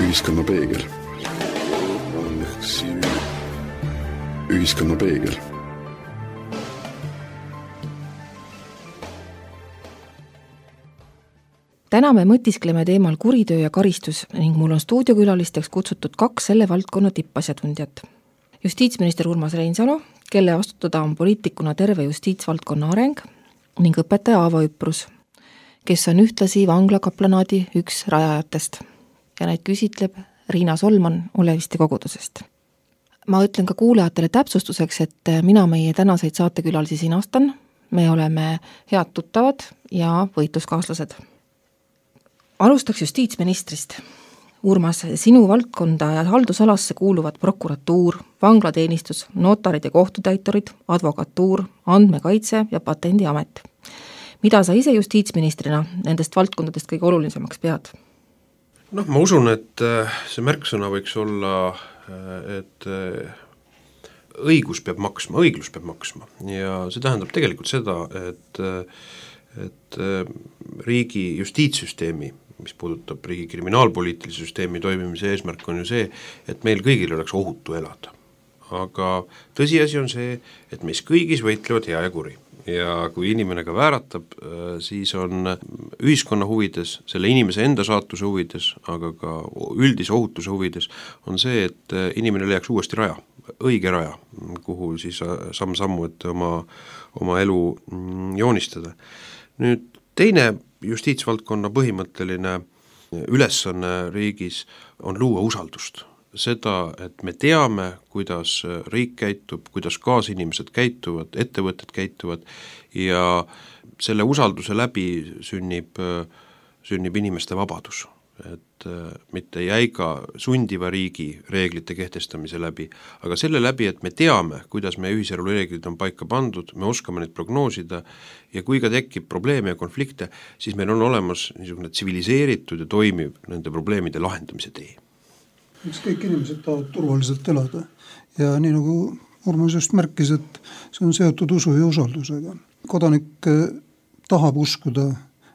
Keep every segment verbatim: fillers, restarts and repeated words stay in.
Ühiskonna peegel. Ühiskonna peegel. Täna me mõtiskleme teemal kuritöö ja karistus ning mul on stuudiokülalisteks kutsutud kaks selle valdkonna tippasjatundjat. Justiitsminister Urmas Reinsalu, kelle vastutada on poliitikuna terve justiitsvaldkonna areng, ning õpetaja Aavo Üprus, kes on ühtlasi vanglakaplanaadi üks rajajatest ja neid küsitleb Riina Solman Oleviste kogudusest. Ma ütlen ka kuulajatele täpsustuseks, et mina meie tänaseid saatekülalisi siin astan, me oleme head tuttavad ja võitluskaaslased. Alustaks justiitsministrist. Urmas, sinu valdkonda ja haldusalasse kuuluvad prokuratuur, vanglateenistus, notarid ja kohtutäiturid, advokatuur, andmekaitse ja patendiamet. Mida sa ise justiitsministrina nendest valdkondadest kõige olulisemaks pead? Noh, ma usun, et see märksõna võiks olla, et õigus peab maksma, õiglus peab maksma ja see tähendab tegelikult seda, et, et riigi justiitssüsteemi, mis puudutab riigi kriminaalpoliitilise süsteemi toimimise eesmärk on ju see, et meil kõigil oleks ohutu elada. Aga tõsiasi on see, et meis kõigis võitlevad hea ja kuri. Ja kui inimene ka vääratab, siis on ühiskonna huvides, selle inimese enda saatuse huvides, aga ka üldise ohutuse huvides, on see, et inimene leiaks uuesti raja, õige raja, kuhu siis samm-sammu, et oma, oma elu joonistada. Nüüd teine justiitsvaldkonna põhimõtteline ülesanne riigis on luua usaldust. Seda, et me teame, kuidas riik käitub, kuidas kaasinimesed käituvad, ettevõtted käituvad ja selle usalduse läbi sünnib, sünnib inimeste vabadus. Et mitte jäiga sundiva riigi reeglite kehtestamise läbi, aga selle läbi, et me teame, kuidas meie ühiselu reeglid on paika pandud, me oskame neid prognoosida ja kui ka tekib probleeme ja konflikte, siis meil on olemas niisugune tsiviliseeritud ja toimiv nende probleemide lahendamise tee. Eks kõik inimesed tahavad turvaliselt elada ja nii nagu Urmas just märkis, et see on seotud usu ja usaldusega. Kodanik tahab uskuda,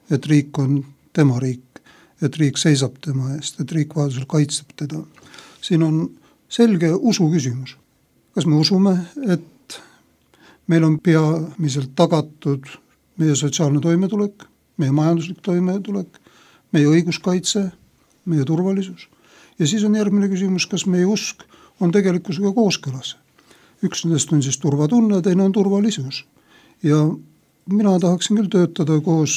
et riik on tema riik, et riik seisab tema eest, et riik vajadusel kaitseb teda. Siin on selge usu küsimus. Kas me usume, et meil on peamiselt tagatud meie sotsiaalne toimetulek, meie majanduslik toimetulek, meie õiguskaitse, meie turvalisus? Ja siis on järgmine küsimus, kas meie usk on tegelikkusega kooskõlas. Üks nendest on siis turvatunne, teine on turvalisus. Ja mina tahaksin küll töötada koos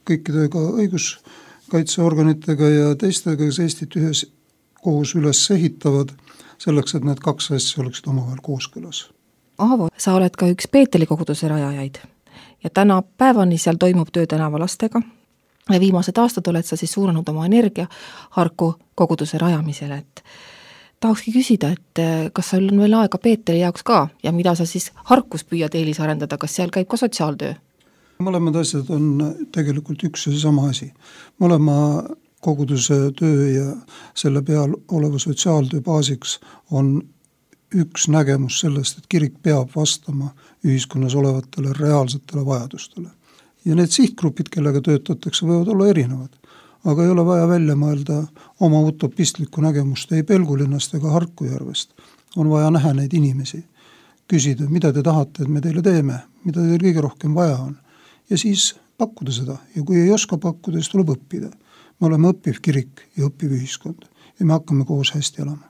kõikidega õiguskaitseorganitega ja teistega, kes Eestit ühes koos üles ehitavad, selleks, et need kaks asja oleksid omavahel kooskõlas. Aavo, sa oled ka üks Peeteli koguduse rajajaid ja täna päevani seal toimub töö tänavalastega. Ja viimased aastad oled sa siis suunanud oma energia Harku koguduse rajamisele, et tahakski küsida, et kas sul on veel aega Peeteli jaoks ka ja mida sa siis Harkus püüad eelis arendada, kas seal käib ka sotsiaaltöö? Mõlemad asjad on tegelikult üks ja sama asi. Mõlema koguduse töö ja selle peal oleva sotsiaaltöö baasiks on üks nägemus sellest, et kirik peab vastama ühiskonnas olevatele reaalsetele vajadustele. Ja need sihtgrupid, kellega töötatakse, võivad olla erinevad, aga ei ole vaja välja mõelda oma utopistlikku nägemust ei Pelgulinnast ega Harkujärvest. On vaja näha neid inimesi, küsida, mida te tahate, et me teile teeme, mida teil kõige rohkem vaja on. Ja siis pakkuda seda ja kui ei oska pakkuda, siis tuleb õppida. Me oleme õppiv kirik ja õppiv ühiskond ja me hakkame koos hästi elama.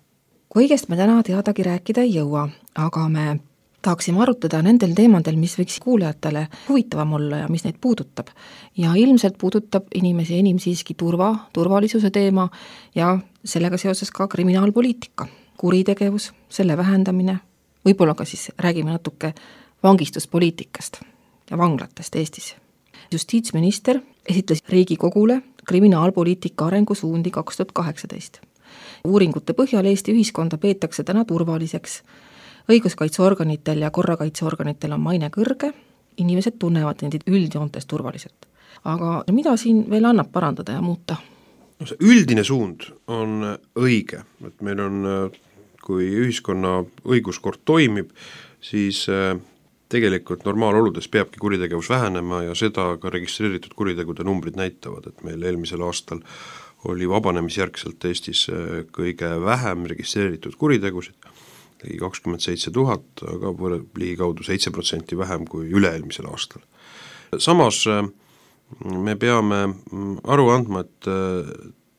Kõigest me täna teadagi rääkida ei jõua, aga me tahaksime arutada nendel teemadel, mis võiks kuulajatele huvitavam olla ja mis neid puudutab. Ja ilmselt puudutab inimesi enim siiski turva, turvalisuse teema ja sellega seoses ka kriminaalpoliitika, kuritegevus, selle vähendamine, võib-olla ka siis räägime natuke vangistuspoliitikast ja vanglatest Eestis. Justiitsminister esitles Riigikogule kriminaalpoliitika arengusuundi kaks tuhat kaheksateist. Uuringute põhjal Eesti ühiskonda peetakse täna turvaliseks. Õiguskaitseorganitel ja korrakaitseorganitel on maine kõrge, inimesed tunnevad neid üldjoontes turvaliselt. Aga mida siin veel annab parandada ja muuta? No see üldine suund on õige, et meil on, kui ühiskonna õiguskord toimib, siis tegelikult normaaloludes peabki kuritegevus vähenema ja seda ka registreeritud kuritegude numbrid näitavad, et meil eelmisel aastal oli vabanemisjärgselt Eestis kõige vähem registreeritud kuritegusid, ligi kakskümmend seitse tuhat, aga ligikaudu seitse protsenti vähem kui üle-eelmisel aastal. Samas me peame aru andma, et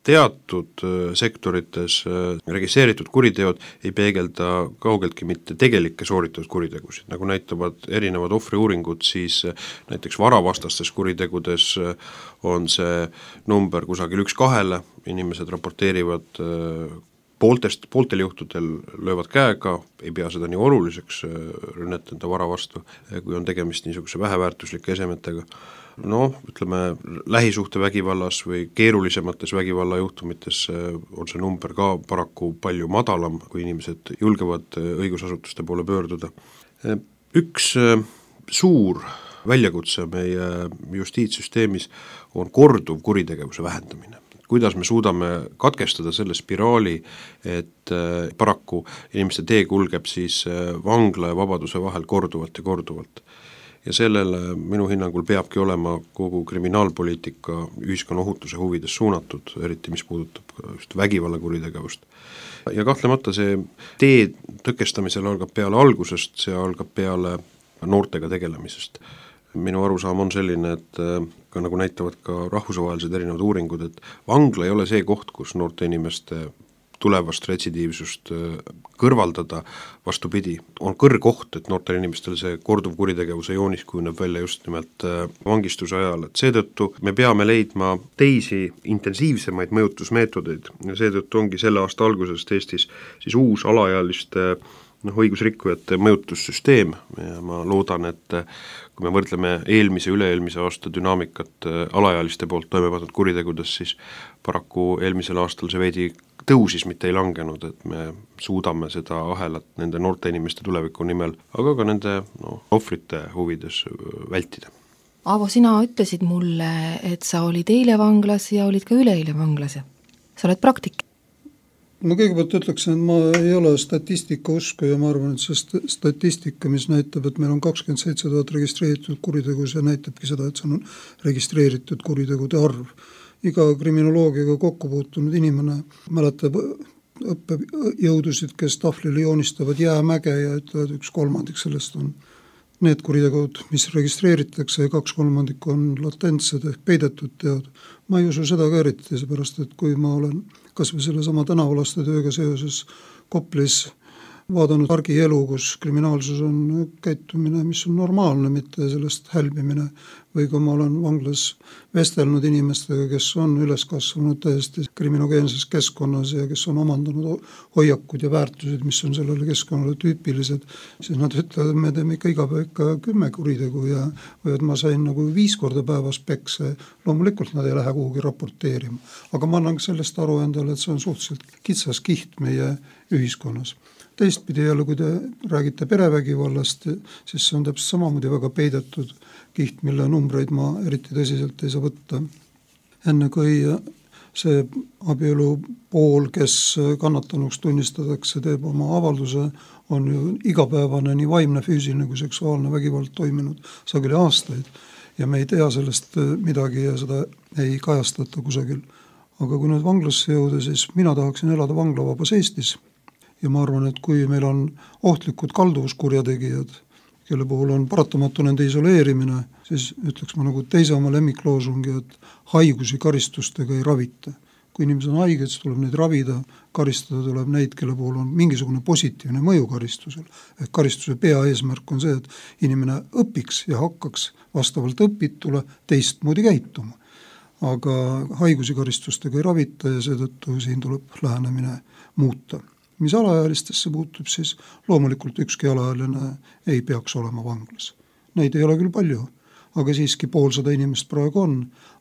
teatud sektorites registreeritud kuriteod ei peegelda kaugeltki mitte tegelikke sooritatud kuritegusid, nagu näitavad erinevad ohvriuuringud, siis näiteks varavastastes kuritegudes on see number kusagil üks kahele, inimesed raporteerivad pooltest, pooltel juhtudel löövad käega, ei pea seda nii oluliseks rünnet enda vara vastu, kui on tegemist niisuguse väheväärtuslike esemetega. No, ütleme, lähisuhte vägivallas või keerulisemates vägivallajuhtumites on see number ka paraku palju madalam, kui inimesed julgevad õigusasutuste poole pöörduda. Üks suur väljakutse meie justiitssüsteemis on korduv kuritegevuse vähendamine. Kuidas me suudame katkestada selle spiraali, et paraku inimeste tee kulgeb siis vangla ja vabaduse vahel korduvalt ja korduvalt. Ja sellele minu hinnangul peabki olema kogu kriminaalpoliitika ühiskonna ohutuse huvides suunatud, eriti mis puudutab just vägivallakuritegevust. Ja kahtlemata see tee tõkestamisel algab peale algusest, see algab peale noortega tegelemisest. Minu arusaam on selline, et ka nagu näitavad ka rahvusvahelised erinevad uuringud, et vangla ei ole see koht, kus noorte inimeste tulevast retsidiivsust kõrvaldada, vastupidi, on kõrgoht, et noortel inimestel see korduv kuritegevuse joonis kujuneb välja just nimelt vangistuse ajal, et seetõttu me peame leidma teisi intensiivsemaid mõjutusmeetodeid ja seetõttu ongi selle aasta algusest Eestis siis uus alaealiste noh, õigusrikkujate mõjutussüsteem ja ma loodan, et kui me võrdleme eelmise üle-eelmise aasta dünaamikat alaealiste poolt toime pandud kuritegudes, siis paraku eelmisel aastal see veidi tõusis, mitte ei langenud, et me suudame seda ahelat nende noorte inimeste tuleviku nimel, aga ka nende no, ohvrite huvides vältida. Aavo, sina ütlesid mulle, et sa olid eile vanglas ja olid ka üleeile vanglas. Sa oled praktik. Ma kõigepealt ütleksin, et ma ei ole statistika usku ja ma arvan, et see statistika, mis näitab, et meil on kakskümmend seitse tuhat registreeritud kuritegus ja näitabki seda, et see on registreeritud kuritegude arv. Iga kriminoloogiaga kokku puutunud inimene mäletab õppejõudusid, kes tahvlile joonistavad jäämäge ja ütlevad, üks kolmandik sellest on need kuritegud, mis registreeritakse ja kaks kolmandik on latentsed ehk peidetud teod. Ma ei usu seda ka eriti, seepärast, et kui ma olen kas või selle sama tänavalaste tööga seoses Koplis vaadanud argielu, kus kriminaalsus on käitumine, mis on normaalne, mitte sellest hälbimine, või kui ma olen vanglas vestelnud inimestega, kes on üles kasvanud täiesti kriminogeenses keskkonnas ja kes on omandanud hoiakud ja väärtused, mis on sellele keskkonnale tüüpilised, siis nad ütlevad, et me teeme ikka iga päev ikka kümme kuritegu ja või et ma sain nagu viis korda päevas pekse. Loomulikult nad ei lähe kuhugi raporteerima. Aga ma annan sellest aru endale, et see on suhteliselt kitsas kiht meie ühiskonnas. Teistpidi jälle, kui te räägite perevägivallast, siis see on täpselt samamoodi väga peidetud kiht, mille numbreid ma eriti tõsiselt ei saa võtta. Enne kui see abielu pool, kes kannatanuks tunnistatakse, teeb oma avalduse, on ju igapäevane nii vaimne, füüsiline kui seksuaalne vägivald toiminud sageli aastaid ja me ei tea sellest midagi ja seda ei kajastata kusagil. Aga kui nüüd vanglasse jõuda, siis mina tahaksin elada vanglavabas Eestis. Ja ma arvan, et kui meil on ohtlikud kalduvuskurjategijad, kelle puhul on paratamatu nende isoleerimine, siis ütleks ma nagu teise oma lemmikloosungi, et haigusi karistustega ei ravita. Kui inimesed on haiged, siis tuleb neid ravida, karistada tuleb neid, kelle puhul on mingisugune positiivne mõju karistusel. Et karistuse pea eesmärk on see, et inimene õpiks ja hakkaks vastavalt õpitule teistmoodi käituma. Aga haigusi karistustega ei ravita ja seetõttu siin tuleb lähenemine muuta. Mis alaealistesse puutub, siis loomulikult ükski alaealine ei peaks olema vanglas. Neid ei ole küll palju, aga siiski poolsada inimest praegu on,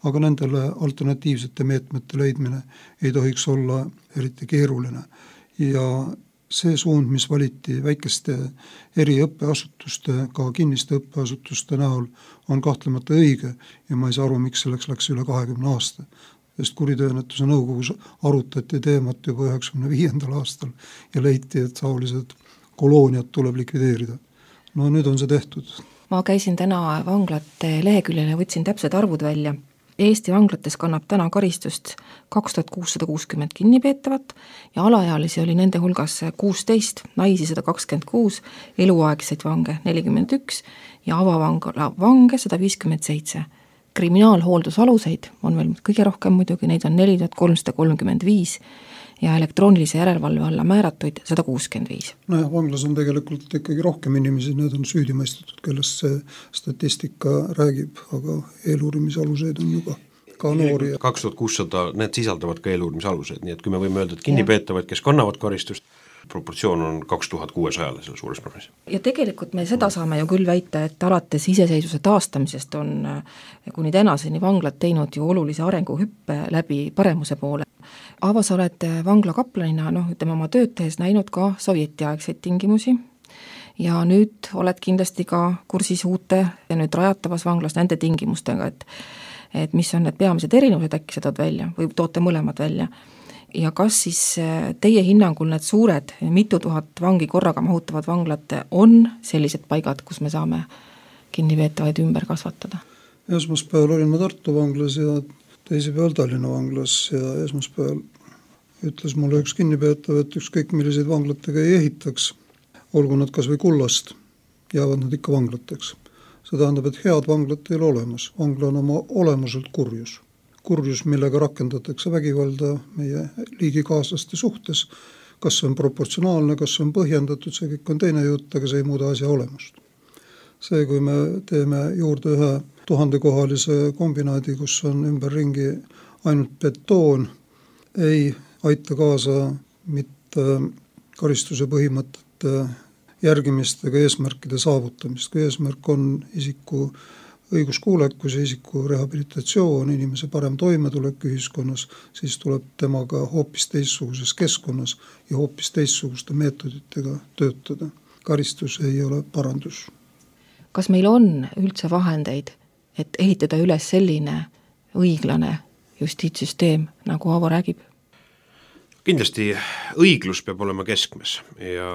aga nendele alternatiivsete meetmete leidmine ei tohiks olla eriti keeruline. Ja see suund, mis valiti väikeste eri õppeasutuste, ka kinniste õppeasutuste näol, on kahtlemata õige ja ma ei saa aru, miks selleks läks üle kahekümne aasta. Sest kuritööennetuse nõukogus arutati teemat juba üheksakümne viiendal aastal ja leiti, et taolised kolooniad tuleb likvideerida. No nüüd on see tehtud. Ma käisin täna vanglate leheküljel ja võtsin täpsed arvud välja. Eesti vanglates kannab täna karistust kaks tuhat kuussada kuuskümmend kinnipeetavat ja alaealisi oli nende hulgas kuusteist, naisi sada kakskümmend kuus, eluaegseid vange nelikümmend üks ja avavangla vange sada viiskümmend seitse. Kriminaalhooldusaluseid on veel kõige rohkem muidugi, neid on neli tuhat kolmsada kolmkümmend viis ja elektroonilise järelevalve alla määratuid sada kuuskümmend viis. Nojah, vanglas on tegelikult ikkagi rohkem inimesi, need on süüdimõistetud, kellest see statistika räägib, aga eeluurimisaluseid on juba ka noori. kaks tuhat kuussada, need sisaldavad ka eeluurimisaluseid, nii et kui me võime öelda, et kinnipeetavad, kes kannavad karistust, proportsioon on kaks tuhat kuuesajale selle suures probleemis. Ja tegelikult me seda saame ju küll väita, et alates iseseisvuse taastamisest on kuni tänaseni vanglad teinud ju olulise arenguhüppe läbi paremuse poole. Aavo, sa oled vangla kaplanina, noh, ütleme oma tööd tehes näinud ka sovjetiaegseid tingimusi ja nüüd oled kindlasti ka kursis uute ja nüüd rajatavas vanglas nende tingimustega, et, et mis on need peamised erinevused, äkki sa tood välja või toote mõlemad välja. Ja kas siis teie hinnangul need suured mitu tuhat vangi korraga mahutavad vanglad on sellised paigad, kus me saame kinnipeetavaid ümber kasvatada? Esmaspäeval olin ma Tartu vanglas ja teisipäeval Tallinna vanglas ja esmaspäeval ütles mulle üks kinnipeetav, et ükskõik milliseid vanglatega ei ehitaks, olgu nad kas või kullast, jäävad nad ikka vanglateks. See tähendab, et head vanglat ei ole olemas. Vangla on oma olemuselt kurjus. Kurjus, millega rakendatakse vägivalda meie liigikaaslaste suhtes. Kas see on proportsionaalne, kas see on põhjendatud, see kõik on teine jutt, aga see ei muuda asja olemust. See, kui me teeme juurde ühe tuhandekohalise kombinaadi, kus on ümberringi ainult betoon, ei aita kaasa mitte karistuse põhimõtete järgimist ega eesmärkide saavutamist. Kui eesmärk on isiku õiguskuulekus ja isiku rehabilitatsioon, inimese parem toimetulek ühiskonnas, siis tuleb temaga hoopis teistsuguses keskkonnas ja hoopis teistsuguste meetoditega töötada. Karistus ei ole parandus. Kas meil on üldse vahendeid, et ehitada üles selline õiglane justiitssüsteem, nagu Aavo räägib? Kindlasti õiglus peab olema keskmes ja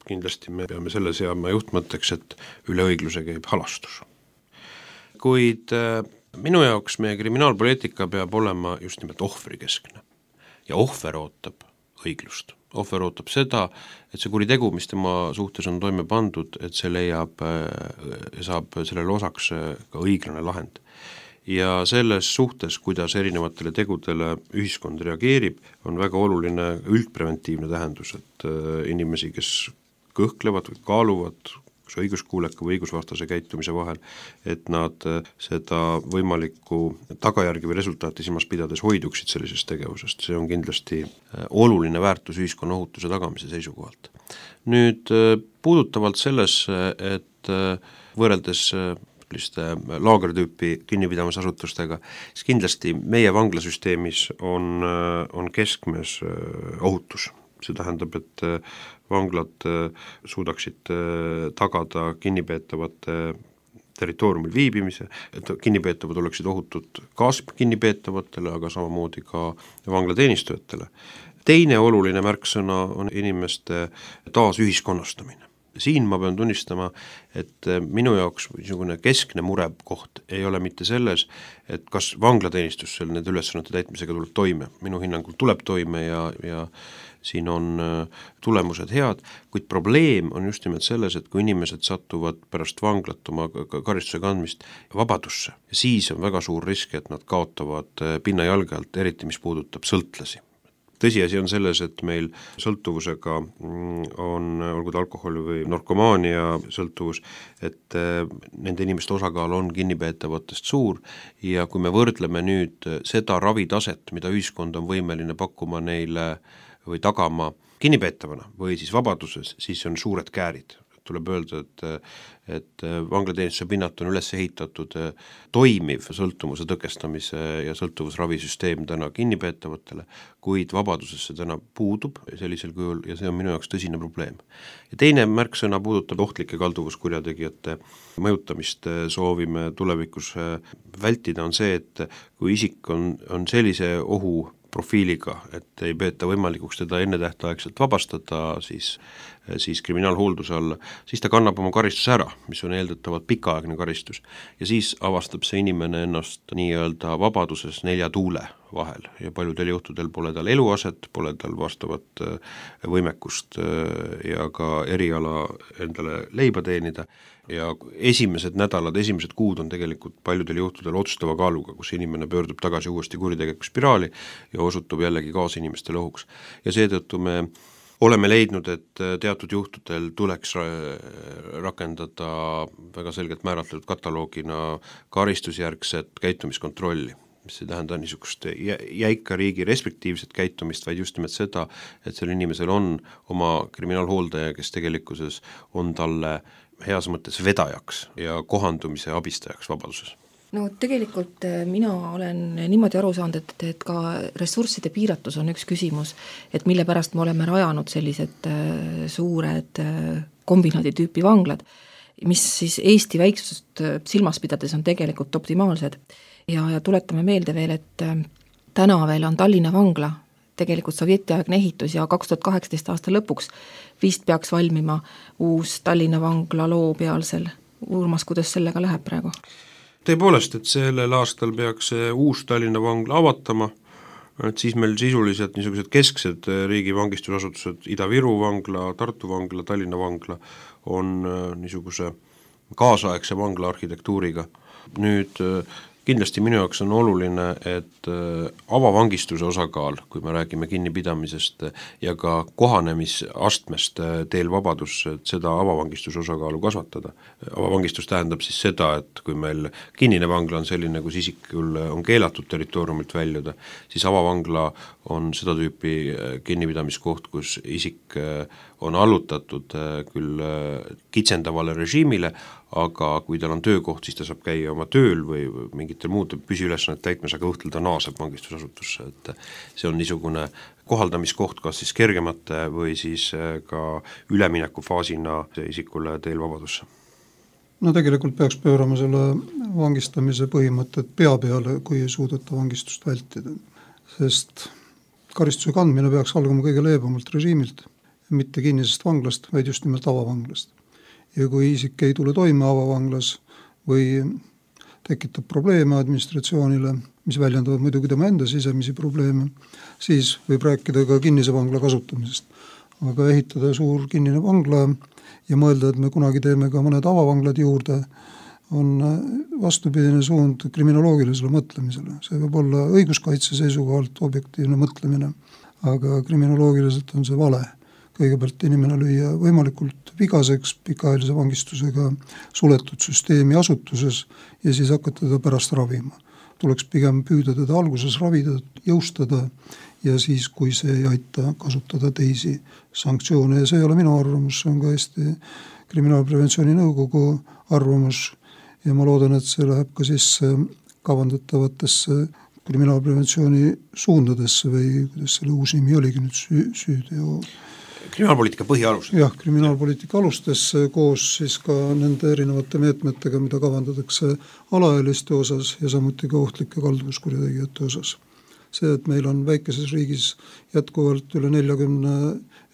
kindlasti me peame selle seama juhtmõtteks, et üle õigluse käib halastus. Kuid minu jaoks meie kriminaalpoliitika peab olema just nimelt ohvrikeskne ja ohver ootab õiglust. Ohver ootab seda, et see kuritegu, mis tema suhtes on toime pandud, et see leiab, saab sellele osaks ka õiglane lahend. Ja selles suhtes, kuidas erinevatele tegudele ühiskond reageerib, on väga oluline üldpreventiivne tähendus, et inimesi, kes kõhklevad või kaaluvad kas õiguskuuleka või õigusvastase käitumise vahel, et nad seda võimalikku tagajärgi või resultaati silmas pidades hoiduksid sellisest tegevusest. See on kindlasti oluline väärtus ühiskonna ohutuse tagamise seisukohalt. Nüüd puudutavalt selles, et võrreldes laagertüüpi kinnipidamisasutustega, siis kindlasti meie vanglasüsteemis on, on keskmes ohutus. See tähendab, et vanglad suudaksid tagada kinnipeetavate territooriumil viibimise, et kinnipeetavad oleksid ohutud kaaskinnipeetavatele, aga samamoodi ka vanglateenistujatele. Teine oluline märksõna on inimeste taasühiskonnastamine. Siin ma pean tunnistama, et minu jaoks niisugune keskne murekoht ei ole mitte selles, et kas vanglateenistus selle nende ülesannete täitmisega tuleb toime. Minu hinnangul tuleb toime ja, ja siin on tulemused head, kuid probleem on just nimelt selles, et kui inimesed satuvad pärast vanglat oma karistuse kandmist vabadusse, siis on väga suur risk, et nad kaotavad pinna jalge alt, eriti mis puudutab sõltlasi. Tõsiasi on selles, et meil sõltuvusega on, olgu alkoholi või narkomaania sõltuvus, et nende inimeste osakaal on kinnipeetavatest suur ja kui me võrdleme nüüd seda ravitaset, mida ühiskond on võimeline pakkuma neile või tagama kinnipeetavana või siis vabaduses, siis on suured käärid. Tuleb öelda, et, et vanglateenistuse pinnat on üles ehitatud toimiv sõltuvuse tõkestamise ja sõltuvusravisüsteem täna kinnipeetavatele, kuid vabaduses see täna puudub sellisel kujul ja see on minu jaoks tõsine probleem. Ja teine märksõna puudutab ohtlike kalduvuskurjategijate mõjutamist soovime tulevikus vältida on see, et kui isik on, on sellise ohu profiiliga, et ei peeta võimalikuks teda ennetähtaegselt vabastada siis, siis kriminaalhoolduse alla, siis ta kannab oma karistuse ära, mis on eeldatavalt pikaaegne karistus. Ja siis avastab see inimene ennast nii-öelda vabaduses nelja tuule vahel ja paljudel juhtudel pole tal eluaset, pole tal vastavat võimekust ja ka eriala endale leiba teenida. Ja esimesed nädalad, esimesed kuud on tegelikult paljudel juhtudel otsustava kaaluga, kus inimene pöördub tagasi uuesti kuritegeliku spiraali ja osutub jällegi kaasinimestele ohuks. Ja seetõttu me oleme leidnud, et teatud juhtudel tuleks rakendada väga selgelt määratletud kataloogina karistusjärgset käitumiskontrolli, mis ei tähenda niisugust jäika riigi respektiivset käitumist, vaid just nimelt seda, et sellel inimesel on oma kriminaalhooldaja, kes tegelikkuses on talle heas mõttes vedajaks ja kohandumise abistajaks vabaduses. No tegelikult mina olen niimoodi aru saanud, et, et ka ressursside piiratus on üks küsimus, et mille pärast me oleme rajanud sellised suured kombinaadi tüüpi vanglad, mis siis Eesti väiksust silmas pidades on tegelikult optimaalsed. Ja, ja tuletame meelde veel, et täna veel on Tallinna vangla tegelikult sovjetiaegne ehitus ja kaks tuhat kaheksateist aasta lõpuks vist peaks valmima uus Tallinna vangla loo pealsel. Urmas, kuidas sellega läheb praegu? Tõepoolest, et sellel aastal peaks uus Tallinna vangla avatama, et siis meil sisuliselt niisugused kesksed riigi vangistusasutused, Ida-Viru vangla, Tartu vangla, Tallinna vangla on niisuguse kaasaegse vangla arhitektuuriga. Nüüd kindlasti minu jaoks on oluline, et avavangistuse osakaal, kui me räägime kinnipidamisest ja ka kohanemisastmest teel vabadus, et seda avavangistuse osakaalu kasvatada. Avavangistus tähendab siis seda, et kui meil kinnine vangla on selline, kus isikul on keelatud territooriumilt väljuda, siis avavangla on seda tüüpi kinnipidamiskoht, kus isik on allutatud küll kitsendavale režiimile, aga kui tal on töökoht, siis ta saab käia oma tööl või mingitel muude püsiülesannet täitmas, aga õhtul ta naaseb vangistusasutusse, et see on niisugune kohaldamiskoht kas siis kergemate või siis ka üleminekufaasina isikule teel vabadusse. No tegelikult peaks pöörama selle vangistamise põhimõtted pea peale, kui ei suudeta vangistust vältida, sest karistuse kandmine peaks algama kõige leebemalt režiimilt, mitte kinnisest vanglast, vaid just nimelt avavanglast. Ja kui isik ei tule toime avavanglas või tekitab probleeme administratsioonile, mis väljendavad muidugi tema enda sisemisi probleeme, siis võib rääkida ka kinnise vangla kasutamisest. Aga ehitada suur kinnine vangla ja mõelda, et me kunagi teeme ka mõned avavanglad juurde, on vastupidine suund kriminoloogilisele mõtlemisele. See võib olla õiguskaitse seisukohalt objektiivne mõtlemine, aga kriminoloogiliselt on see vale. Kõigepealt inimene lüüa võimalikult vigaseks pikaajalise vangistusega suletud süsteemi asutuses ja siis hakata teda pärast ravima. Tuleks pigem püüda teda alguses ravida, jõustada ja siis, kui see ei aita, kasutada teisi sanktsioone. Ja see ei ole minu arvamus, see on ka Eesti Kriminaalpreventsiooni nõukogu arvamus ja ma loodan, et see läheb ka siis kavandatavatesse kriminaalpreventsiooni suundadesse või kuidas selle uus nimi oligi nüüd süü, süüdeo kriminaalpoliitika põhialused. Jah, kriminaalpoliitika alustes koos siis ka nende erinevate meetmetega, mida kavandatakse alaealiste osas ja samuti ka ohtlike kalduvuskurjategijate osas. See, et meil on väikeses riigis jätkuvalt üle neljakümne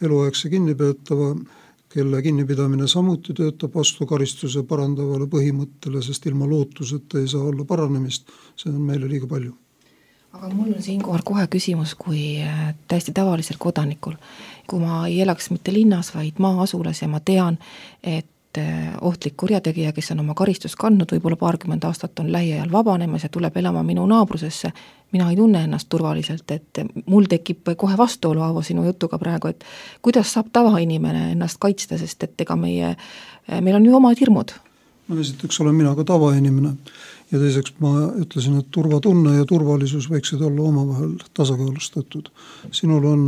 eluaegse kinnipeetava, kelle kinnipidamine samuti töötab vastu karistuse parandavale põhimõttele, sest ilma lootuseta ei saa olla paranemist, see on meile liiga palju. Aga mul on siinkohal kohe küsimus kui täiesti tavalisel kodanikul. Kui ma ei elaks mitte linnas, vaid maa-asulas ja ma tean, et ohtlik kurjategija, kes on oma karistust kandnud, võib-olla paarkümmend aastat on lähiajal vabanemas ja tuleb elama minu naabrusesse, mina ei tunne ennast turvaliselt, et mul tekib kohe vastuolu Aavo sinu jutuga praegu, et kuidas saab tavainimene ennast kaitsta, sest et ega meie, meil on ju omad hirmud. No esiteks olen mina ka tavainimene ja teiseks ma ütlesin, et turvatunne ja turvalisus võiksid olla omavahel tasakaalustatud. Sinul on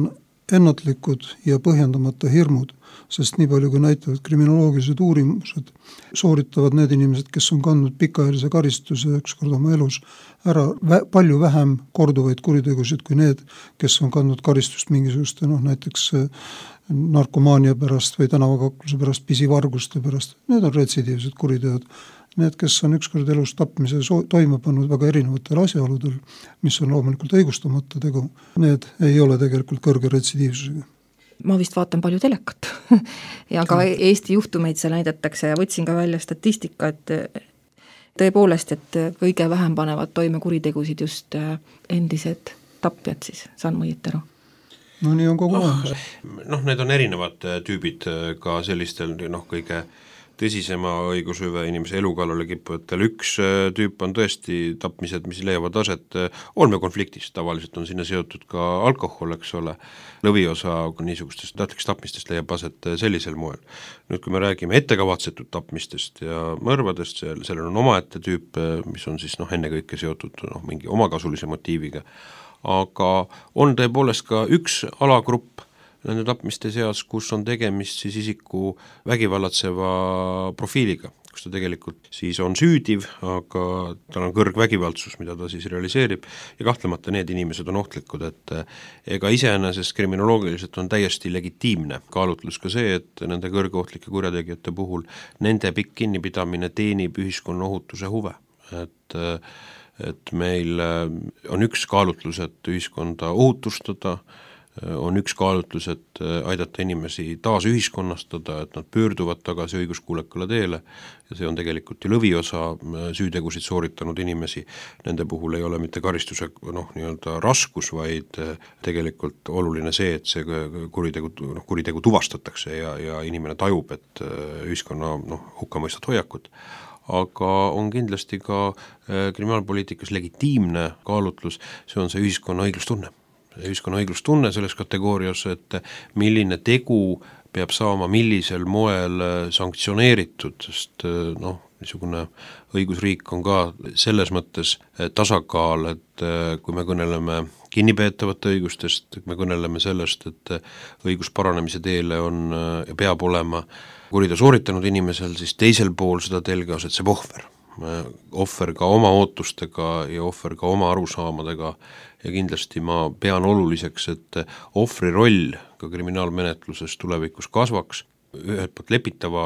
ennatlikud ja põhjendamata hirmud, sest nii palju kui näitavad kriminoloogilised uurimused, sooritavad need inimesed, kes on kandnud pikaajalise karistuse ükskord oma elus ära vä- palju vähem korduvaid kuritegusid kui need, kes on kandnud karistust mingisuguste, noh näiteks narkomaania pärast või tänavakakluse pärast, pisivarguste pärast. Need on retsidiivsed kuriteod. need, kes on ükskord elus tapmise so- toime pannud väga erinevatel asjaoludel, mis on loomulikult õigustamata tegu, need ei ole tegelikult kõrge retsidiivsusega. Ma vist vaatan palju telekat ja ka Eesti juhtumeid seal näidatakse ja võtsin ka välja statistika, et tõepoolest, et kõige vähem panevad toime kuritegusid just endised tapjad siis, saan ma õieti aru? No nii on kogu aeg. Noh, need on erinevad tüübid ka sellistel, noh, kõige tõsisema õigushüve inimese elukallale kippujatel. Üks tüüp on tõesti tapmised, mis leiavad aset olmekonfliktist, tavaliselt on sinna seotud ka alkohol, eks ole, lõviosa niisugustest tahtlikest tapmistest leiab aset sellisel moel. Nüüd, kui me räägime ettekavatsetud tapmistest ja mõrvadest, sellel on omaette tüüp, mis on siis noh, ennekõike seotud noh, mingi omakasulise motiiviga, aga on tõepoolest ka üks alagrupp nende tapmiste seas, kus on tegemist siis isiku vägivallatseva profiiliga, kus ta tegelikult siis on süüdiv, aga tal on kõrgvägivaldsus, mida ta siis realiseerib ja kahtlemata need inimesed on ohtlikud, et ega iseenesest kriminoloogiliselt on täiesti legitiimne kaalutlus ka see, et nende kõrgeohtlike kurjategijate puhul nende pikk kinnipidamine teenib ühiskonna ohutuse huve, et et meil on üks kaalutlus, et ühiskonda ohutustada, on üks kaalutlus, et aidata inimesi taas ühiskonnastada, et nad pöörduvad tagasi õiguskuulekale teele ja see on tegelikult ju lõviosa süütegusid sooritanud inimesi. Nende puhul ei ole mitte karistuse noh, nii-öelda raskus, vaid tegelikult oluline see, et see kuritegu, noh, kuritegu tuvastatakse ja, ja inimene tajub, et ühiskonna noh, hukkamõistat hoiakut. Aga on kindlasti ka kriminaalpoliitikas legitiimne kaalutlus, see on see ühiskonna õiglustunne. Ühiskonna õiglustunne selles kategoorias, et milline tegu peab saama millisel moel sanktsioneeritud, sest noh, niisugune õigusriik on ka selles mõttes tasakaal, et kui me kõneleme kinnipeetavate õigustest, me kõneleme sellest, et õigus paranemise teele on ja peab olema kuriteo sooritanud inimesel, siis teisel pool seda telge asetseb ohver. Ohver ka oma ootustega ja ohver ka oma arusaamadega ja kindlasti ma pean oluliseks, et ohvri roll ka kriminaalmenetluses tulevikus kasvaks, ühelt poolt lepitava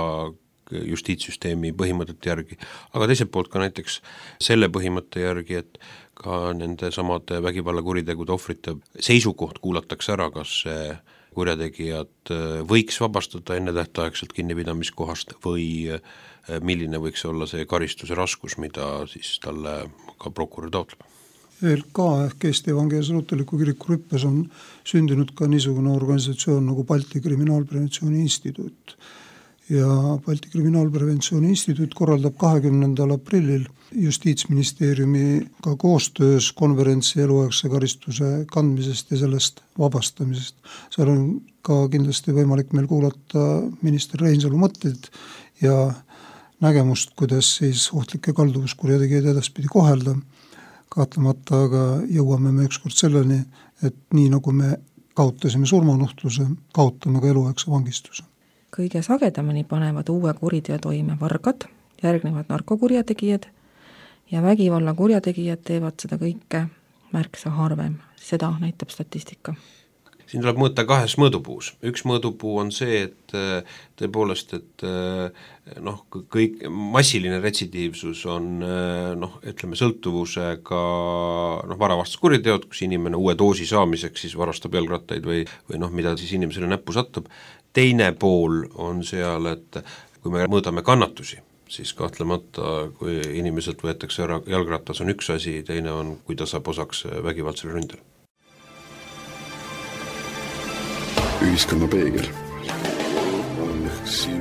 justiitssüsteemi põhimõtete järgi, aga teiselt poolt ka näiteks selle põhimõtte järgi, et ka nende samade vägivallakuritegude ohvrite seisukoht kuulatakse ära, kas see kurjategijad võiks vabastada enne tähtaegselt kinnipidamiskohast või milline võiks olla see karistuse raskus, mida siis talle ka prokurör taotleb. E L K ehk Eesti Evangeelse Luterliku Kiriku rüppes on sündinud ka niisugune organisatsioon nagu Balti Kriminaalpreventsiooni Instituut. Ja Balti Kriminaalpreventsiooni Instituut korraldab kahekümnendal aprillil Justiitsministeeriumiga koostöös konverentsi eluaegse karistuse kandmisest ja sellest vabastamisest. Seal on ka kindlasti võimalik meil kuulata minister Reinsalu mõtteid ja nägemust, kuidas siis ohtlikke kalduvuskurjategijaid edaspidi kohelda. Kahtlemata aga jõuame me ükskord selleni, et nii nagu me kaotasime surmanuhtluse, kaotame ka eluaegse vangistuse. Kõige sagedamini panevad uue kuriteo toime vargad, järgnevad narkokurjategijad ja vägivalla kurjategijad teevad seda kõike märksa harvem. Seda näitab statistika. Siin tuleb mõõta kahes mõõdupuus. Üks mõõdupuu on see, et tõepoolest, et noh, kõik massiline retsidiivsus on noh, ütleme sõltuvusega noh, varavastas kuriteod, kus inimene uue doosi saamiseks siis varastab jalgrattaid või, või noh, mida siis inimesele näppu satub. Teine pool on seal, et kui me mõõdame kannatusi, siis kahtlemata, kui inimeselt võetakse ära jalgratas on üks asi, teine on, kui ta saab osaks vägivaldsele ründel. Ühiskonna peegel.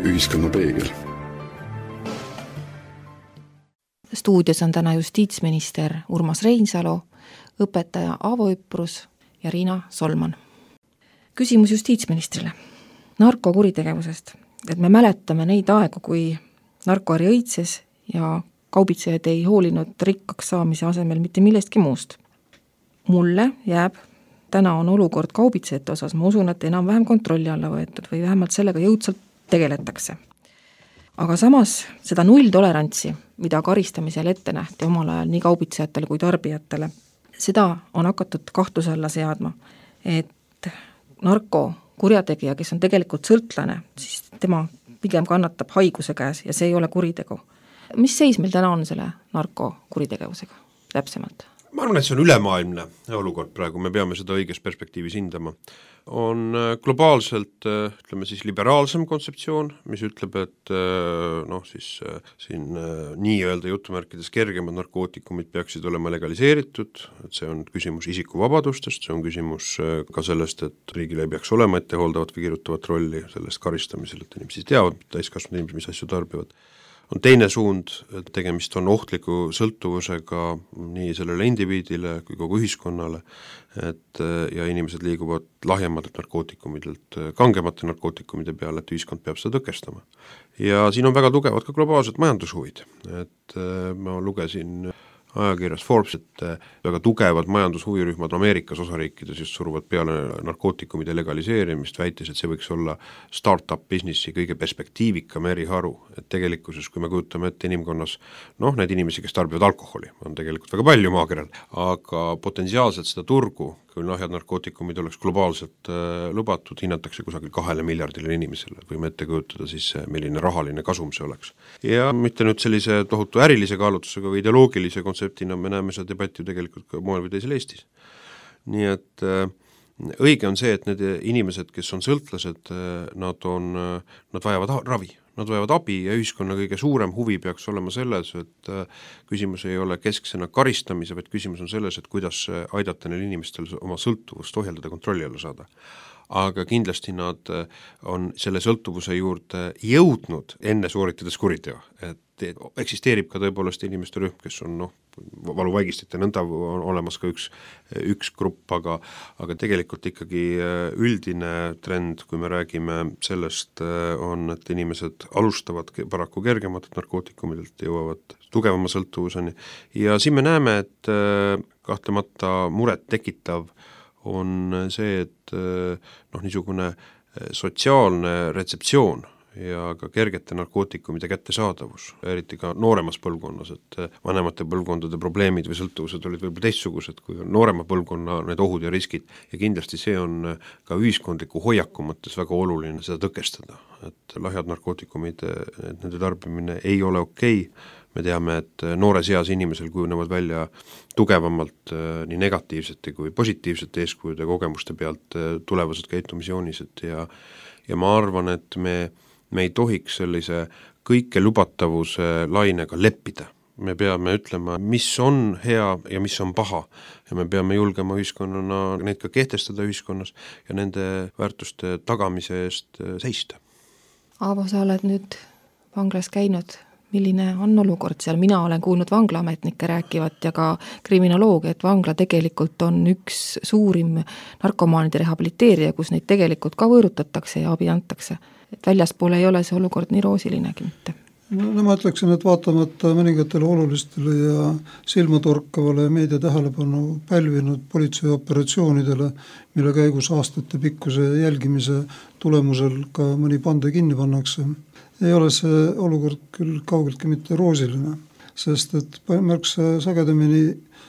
Ühiskonna peegel. Stuudios on täna justiitsminister Urmas Reinsalu, õpetaja Aavo Üprus ja Riina Solman. Küsimus justiitsministrile. Narkokuritegevusest, et me mäletame neid aegu, kui narkoari õitses ja kaubitsejad ei hoolinud rikkaks saamise asemel mitte millestki muust. Mulle jääb, täna on olukord kaubitsejate osas, ma usun, et enam-vähem kontrolli alla võetud või vähemalt sellega jõudsalt tegeletakse. Aga samas seda nulltolerantsi, mida karistamisel ette nähti omal ajal nii kaubitsejatele kui tarbijatele, seda on hakatud kahtluse alla seadma, et narko kurjategija, kes on tegelikult sõltlane, siis tema pigem kannatab haiguse käes ja see ei ole kuritegu. mis seis meil täna on selle narkokuritegevusega täpsemalt? Ma arvan, et see on ülemaailmne olukord praegu, me peame seda õiges perspektiivis hindama. On globaalselt, ütleme siis, liberaalsem kontseptsioon, mis ütleb, et noh, siis siin nii-öelda jutumärkides kergemad narkootikumid peaksid olema legaliseeritud, et see on küsimus isikuvabadustest, see on küsimus ka sellest, et riigil ei peaks olema ettehooldavat või kirjutavat rolli sellest karistamisel, et inimesed teavad, täiskasvanud inimesed, mis asju tarbivad. On teine suund, et tegemist on ohtliku sõltuvusega nii sellele indiviidile kui kogu ühiskonnale, et ja inimesed liiguvad lahjematelt narkootikumidelt kangemate narkootikumide peale, et ühiskond peab seda tõkestama. Ja siin on väga tugevad ka globaalsed majandushuvid, et ma lugesin ajakirjas Forbes, et väga tugevad majandushuvirühmad Ameerikas osariikides just suruvad peale narkootikumide legaliseerimist, väites, et see võiks olla start-up businessi kõige perspektiivikam eriharu, et tegelikkuses, kui me kujutame ette inimkonnas, noh, need inimesi, kes tarbivad alkoholi, on tegelikult väga palju maakeral, aga potentsiaalselt seda turgu, kui lahjad narkootikumid oleks globaalselt äh, lubatud, hinnatakse kusagil kahele miljardile inimesele, võime ette kujutada siis, milline rahaline kasum see oleks. Ja mitte nüüd sellise tohutu ärilise kaalutusega või ideoloogilise kontseptina me näeme seda debatti ju tegelikult ka moel või teisel Eestis. Nii et äh, õige on see, et need inimesed, kes on sõltlased, äh, nad on, äh, nad vajavad ravi. Nad vajavad abi ja ühiskonna kõige suurem huvi peaks olema selles, et küsimus ei ole kesksena karistamise, vaid küsimus on selles, et kuidas aidata neil inimestel oma sõltuvust ohjeldada, kontrolli alla saada. Aga kindlasti nad on selle sõltuvuse juurde jõudnud enne sooritades kuriteo, et eksisteerib ka tõepoolest inimeste rühm, kes on noh, valuvaigistite nõnda on olemas ka üks, üks grupp, aga, aga tegelikult ikkagi üldine trend, kui me räägime sellest, on, et inimesed alustavad paraku kergematelt narkootikumidelt, jõuavad tugevama sõltuvuseni ja siin me näeme, et kahtlemata muret tekitav on see, et noh, niisugune sotsiaalne retseptsioon ja ka kergete narkootikumide kättesaadavus, eriti ka nooremas põlvkonnas, et vanemate põlvkondade probleemid või sõltuvused olid võib-olla teistsugused kui noorema põlvkonna need ohud ja riskid ja kindlasti see on ka ühiskondliku hoiaku mõttes väga oluline seda tõkestada, et lahjad narkootikumid, et nende tarbimine ei ole okei, me teame, et noores eas inimesel kujunevad välja tugevamalt nii negatiivsete kui positiivsete eeskujude kogemuste pealt tulevased käitumisjoonised ja, ja ma arvan, et me me ei tohiks sellise kõike lubatavuse lainega leppida. Me peame ütlema, mis on hea ja mis on paha ja me peame julgema ühiskonnana neid ka kehtestada ühiskonnas ja nende väärtuste tagamise eest seista. Aavo, sa oled nüüd vanglas käinud. Milline on olukord seal? Mina olen kuulnud vanglaametnikke rääkivat ja ka kriminolooge, et vangla tegelikult on üks suurim narkomaanide rehabiliteerija, kus neid tegelikult ka võõrutatakse ja abi antakse. Et väljaspool ei ole see olukord nii roosilinegi mitte. No, no ma ütleksin, et vaatamata mõningatele olulistele ja silmatorkavale meedia tähelepanu pälvinud politseioperatsioonidele, mille käigus aastate pikkuse jälgimise tulemusel ka mõni pande kinni pannakse, ei ole see olukord küll kaugeltki mitte roosiline, sest et märksa sagedamini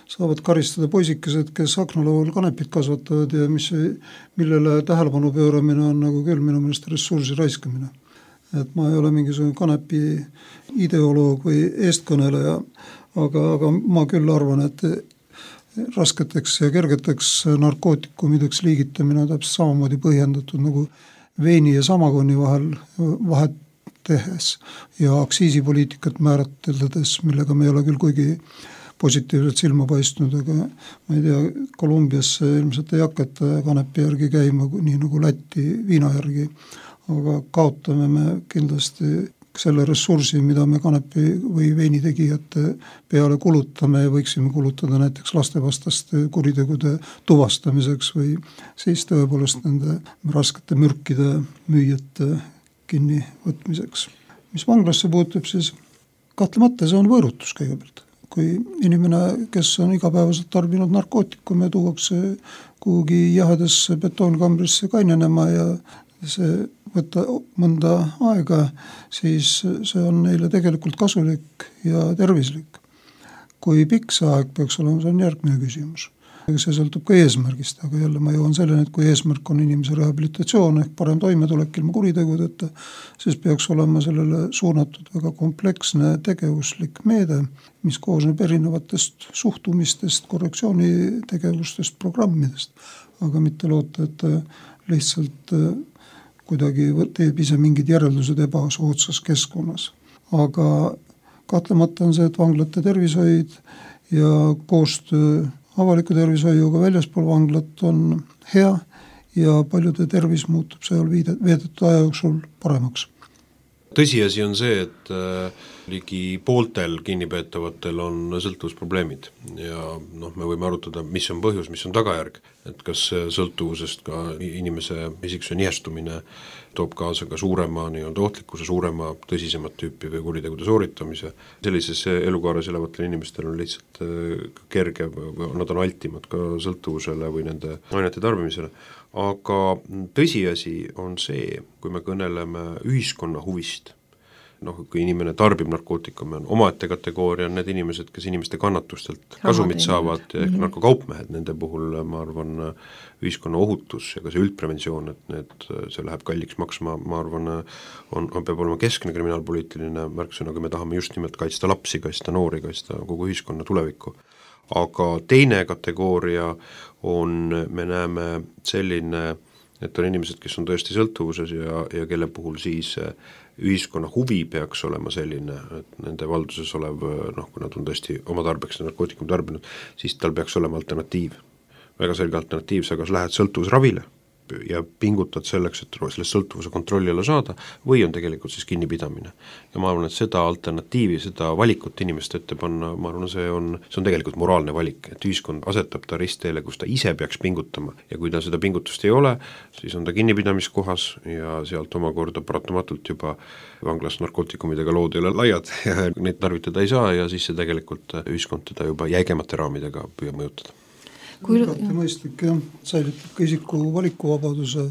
saavad karistada poisikesed, kes aknalaual kanepit kasvatavad ja mis, millele tähelepanu pööramine on nagu küll minu meelest ressursi raiskamine. Et ma ei ole mingisugune kanepi ideoloog või eestkõneleja, aga, aga ma küll arvan, et rasketeks ja kergeteks narkootikumideks liigitamine on täpselt samamoodi põhjendatud nagu veini ja samagonni vahel vahet tehes ja aktsiisipoliitikat määratledes, millega me ei ole küll kuigi positiivselt silma paistnud, aga ma ei tea, Kolumbiasse ilmselt ei hakata kanepi järgi käima, nii nagu Läti viina järgi, aga kaotame me kindlasti selle ressursi, mida me kanepi või veinitegijate peale kulutame ja võiksime kulutada näiteks lastevastaste kuritegude tuvastamiseks või siis tõepoolest nende raskete mürkide müüjate kinni võtmiseks. Mis vanglasse puutub, siis kahtlemata see on võõrutus kõigepealt. Kui inimene, kes on igapäevaselt tarbinud narkootikume, tuuakse kuhugi jahedasse betoonkambrisse kainenema ja see võtta mõnda aega, siis see on neile tegelikult kasulik ja tervislik. Kui pikk see aeg peaks olema, see on järgmine küsimus. see sõltub ka eesmärgist, aga jälle ma jõuan selleni, et kui eesmärk on inimese rehabilitatsioon ehk parem toimetulek ilma kuritegudeta, siis peaks olema sellele suunatud väga kompleksne tegevuslik meede, mis koosneb erinevatest suhtumistest, korrektsioonitegevustest, programmidest, aga mitte loota, et lihtsalt kuidagi teeb ise mingid järeldused ebasoodsas keskkonnas. Aga kahtlemata on see, et vanglate tervishoid ja koostöö avaliku tervishoiuga väljaspool vanglat on hea ja paljude tervis muutub seal veedetud aja jooksul paremaks. Tõsiasi on see, et äh, ligi pooltel kinnipeetavatel on sõltuvusprobleemid ja noh, me võime arutada, mis on põhjus, mis on tagajärg, et kas sõltuvusest ka inimese isiksuse nihestumine toob kaasa ka suurema nii-öelda ohtlikkuse, suurema tõsisemat tüüpi või kuritegude sooritamise. Sellises elukaares elavatel inimestel on lihtsalt kerge, nad on altimad ka sõltuvusele või nende ainete tarbimisele. Aga tõsiasi on see, kui me kõneleme ühiskonna huvist, noh, kui inimene tarbib narkootikume, on omaette kategooria, on need inimesed, kes inimeste kannatustelt kasumit saavad, ehk mm-hmm. narkokaupmehed, nende puhul ma arvan ühiskonna ohutus ja ka see üldpreventsioon, et need, see läheb kalliks maksma, ma arvan, on, on peab olema keskne kriminaalpoliitiline märksõna, kui me tahame just nimelt kaitsta lapsi, kaitsta noori, kaitsta kogu ühiskonna tulevikku. Aga teine kategooria on, me näeme selline, et on inimesed, kes on tõesti sõltuvuses ja, ja kelle puhul siis ühiskonna huvi peaks olema selline, et nende valduses olev, noh, kui nad on tõesti oma tarbeks narkootikum tarbinud, siis tal peaks olema alternatiiv. Väga selge alternatiiv, sa kas lähed sõltuvusravile ja pingutad selleks, et sellest sõltuvuse kontrolli alla saada, või on tegelikult siis kinnipidamine. Ja ma arvan, et seda alternatiivi, seda valikut inimeste ette panna, ma arvan, see on, see on tegelikult moraalne valik, et ühiskond asetab ta ristteele, kus ta ise peaks pingutama ja kui ta seda pingutust ei ole, siis on ta kinnipidamiskohas ja sealt omakorda paratamatult juba vanglas narkootikumidega lood ei ole laiad ja neid tarvitada ei saa ja siis see tegelikult ühiskond teda juba jäigemate raamidega püüab mõjutada. Kui... Igati mõistlik jah, säilitab ka isiku valikuvabaduse,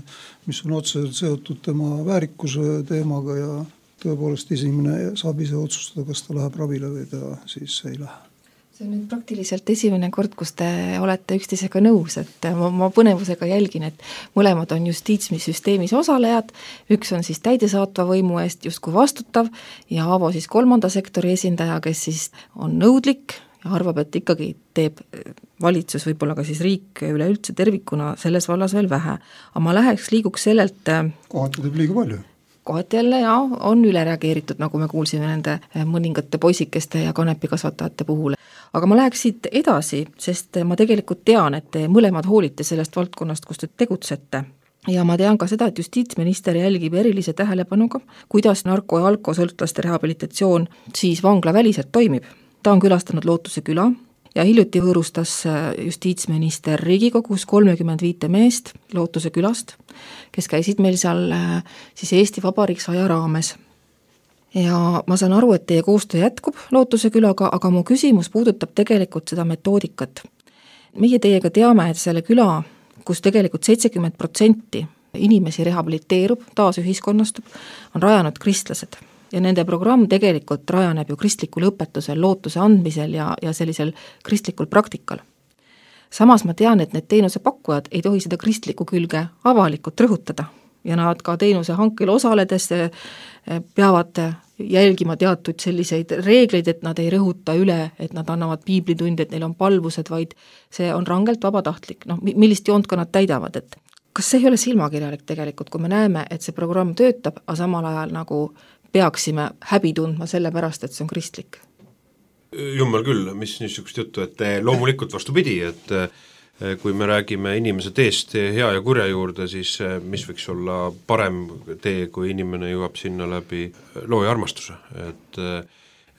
mis on otseselt seotud tema väärikuse teemaga ja tõepoolest inimene saab ise otsustada, kas ta läheb ravile või ta siis ei lähe. See on nüüd praktiliselt esimene kord, kus te olete üksteisega nõus, et ma, ma põnevusega jälgin, et mõlemad on justiitssüsteemis osalejad, üks on siis täidesaatva võimu eest justkui vastutav ja Aavo siis kolmanda sektori esindaja, kes siis on nõudlik ja arvab, et ikkagi teeb valitsus, võib-olla ka siis riik üleüldse tervikuna selles vallas veel vähe. Aga ma läheks liiguks sellelt... Kohati teeb liiga palju. Kohati jälle ja on üle reageeritud, nagu me kuulsime nende mõningate poisikeste ja kanepikasvatajate puhul. Aga ma läheks siit edasi, sest ma tegelikult tean, et te mõlemad hoolite sellest valdkonnast, kus te tegutsete. Ja ma tean ka seda, et justiitsminister jälgib erilise tähelepanuga, kuidas narko- ja alkosõltlaste rehabilitatsioon siis vangla väliselt toimib. Ta on külastanud Lootuse küla ja hiljuti võõrustas justiitsminister Riigikogus kolmekümmend viite meest Lootuse külast, kes käisid meil seal siis Eesti Vabariik saja raames. Ja ma saan aru, et teie koostöö jätkub Lootuse külaga, aga mu küsimus puudutab tegelikult seda metoodikat. Meie teiega teame, et selle küla, kus tegelikult seitsekümmend protsenti inimesi rehabiliteerub, taas ühiskonnastub, on rajanud kristlased. Ja nende programm tegelikult rajaneb ju kristlikul õpetusel, lootuse andmisel ja, ja sellisel kristlikul praktikal. Samas ma tean, et need teenuse pakkujad ei tohi seda kristlikku külge avalikult rõhutada ja nad ka teenuse hankel osaledes peavad jälgima teatud selliseid reegleid, et nad ei rõhuta üle, et nad annavad piiblitundi, et neil on palvused, vaid see on rangelt vabatahtlik. No, millist joont ka nad täidavad, et kas see ei ole silmakirjalik tegelikult, kui me näeme, et see programm töötab, aga samal ajal nagu peaksime häbi tundma selle pärast, et see on kristlik? Jummel küll, mis niisugust juttu, et loomulikult vastupidi, et kui me räägime inimese teest hea ja kurja juurde, siis mis võiks olla parem tee, kui inimene jõuab sinna läbi loo ja armastuse, et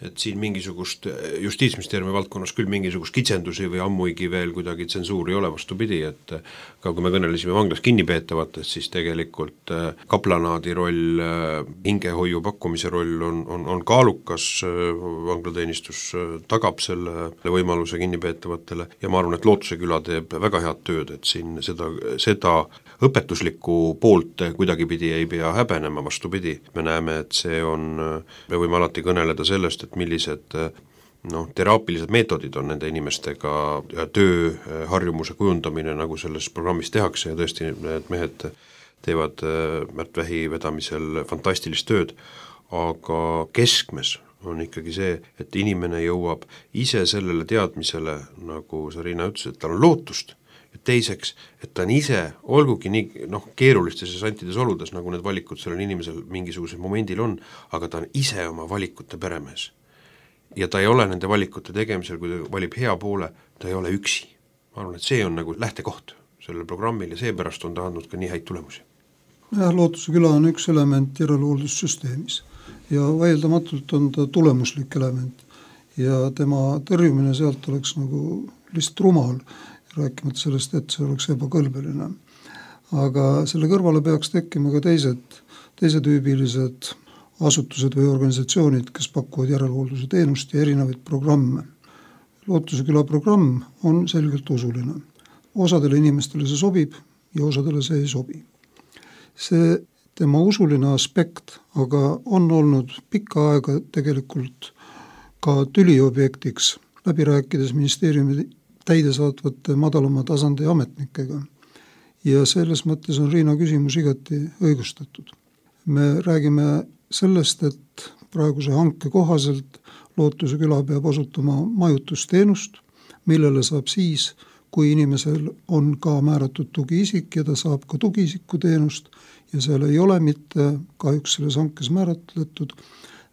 et siin mingisugust justiitsministeeriumi valdkonnas küll mingisugust kitsendusi või ammuigi veel kuidagi tsensuuri ei ole, vastupidi, et ka kui me kõnelesime vanglas kinnipeetavatest, siis tegelikult kaplanaadi roll, hingehoiu pakkumise roll on, on, on kaalukas, vanglateenistus tagab selle võimaluse kinnipeetavatele ja ma arvan, et Lootuse küla teeb väga head tööd, et siin seda, seda õpetuslikku poolt kuidagipidi ei pea häbenema, vastupidi. Me näeme, et see on, me võime alati kõneleda sellest, et millised noh, teraapilised meetodid on nende inimestega ja tööharjumuse kujundamine, nagu selles programmis tehakse ja tõesti need mehed teevad Märt Vähi vedamisel fantastilist tööd, aga keskmes on ikkagi see, et inimene jõuab ise sellele teadmisele, nagu sa, Riina, ütles, et tal on lootust, ja teiseks, et ta on ise, olgugi nii noh, keerulistes ja santides oludes, nagu need valikud sellel inimesel mingisugusel momendil on, aga ta on ise oma valikute peremees. Ja ta ei ole nende valikute tegemisel, kui ta valib hea poole, ta ei ole üksi. Ma arvan, et see on nagu lähtekoht sellel programmil ja seepärast on ta andnud ka nii häid tulemusi. jah, Lootuse küla on üks element järelhooldussüsteemis ja vaieldamatult on ta tulemuslik element ja tema tõrjumine sealt oleks nagu lihtsalt rumal, rääkimata sellest, et see oleks ebakõlbeline. Aga selle kõrvale peaks tekkima ka teised, teisetüübilised asutused või organisatsioonid, kes pakuvad järelhoolduse teenust ja erinevaid programme. Lootuse küla programm on selgelt usuline. Osadele inimestele see sobib ja osadele see ei sobi. See tema usuline aspekt aga on olnud pikka aega tegelikult ka tüliobjektiks, läbi rääkides ministeeriumi täidesaatvate madalama tasandi ametnikega. Ja selles mõttes on Riina küsimus igati õigustatud. Me räägime sellest, et praeguse hanke kohaselt Lootuse küla peab osutama majutusteenust, millele saab siis, kui inimesel on ka määratud tugiisik ja ta saab ka tugiisiku teenust ja seal ei ole mitte kahjuks selles hankes määratletud,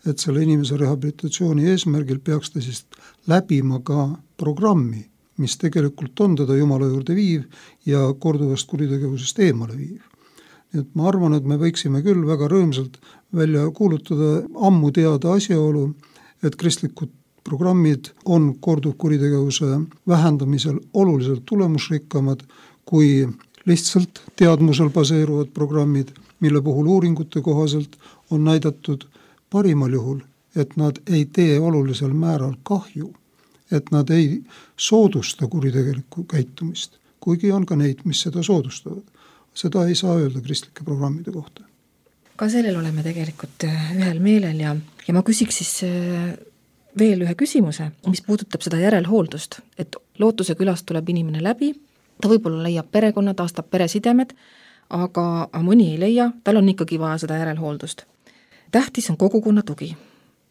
et selle inimese rehabilitatsiooni eesmärgil peaks ta siis läbima ka programmi, mis tegelikult on teda Jumala juurde viiv ja korduvast kuritegevusest eemale viiv. Nii et ma arvan, et me võiksime küll väga rõõmsalt välja kuulutada ammu teada asjaolu, et kristlikud programmid on korduvkuritegevuse vähendamisel oluliselt tulemusrikkamad kui lihtsalt teadmusel baseeruvad programmid, mille puhul uuringute kohaselt on näidatud parimal juhul, et nad ei tee olulisel määral kahju, et nad ei soodusta kuritegelikku käitumist, kuigi on ka neid, mis seda soodustavad. Seda ei saa öelda kristlike programmide kohta. Ka sellel oleme tegelikult ühel meelel ja, ja ma küsiks siis veel ühe küsimuse, mis puudutab seda järelhooldust, et Lootuse külast tuleb inimene läbi, ta võib-olla leiab perekonna, taastab peresidemed, aga mõni ei leia, tal on ikkagi vaja seda järelhooldust. Tähtis on kogukonna tugi.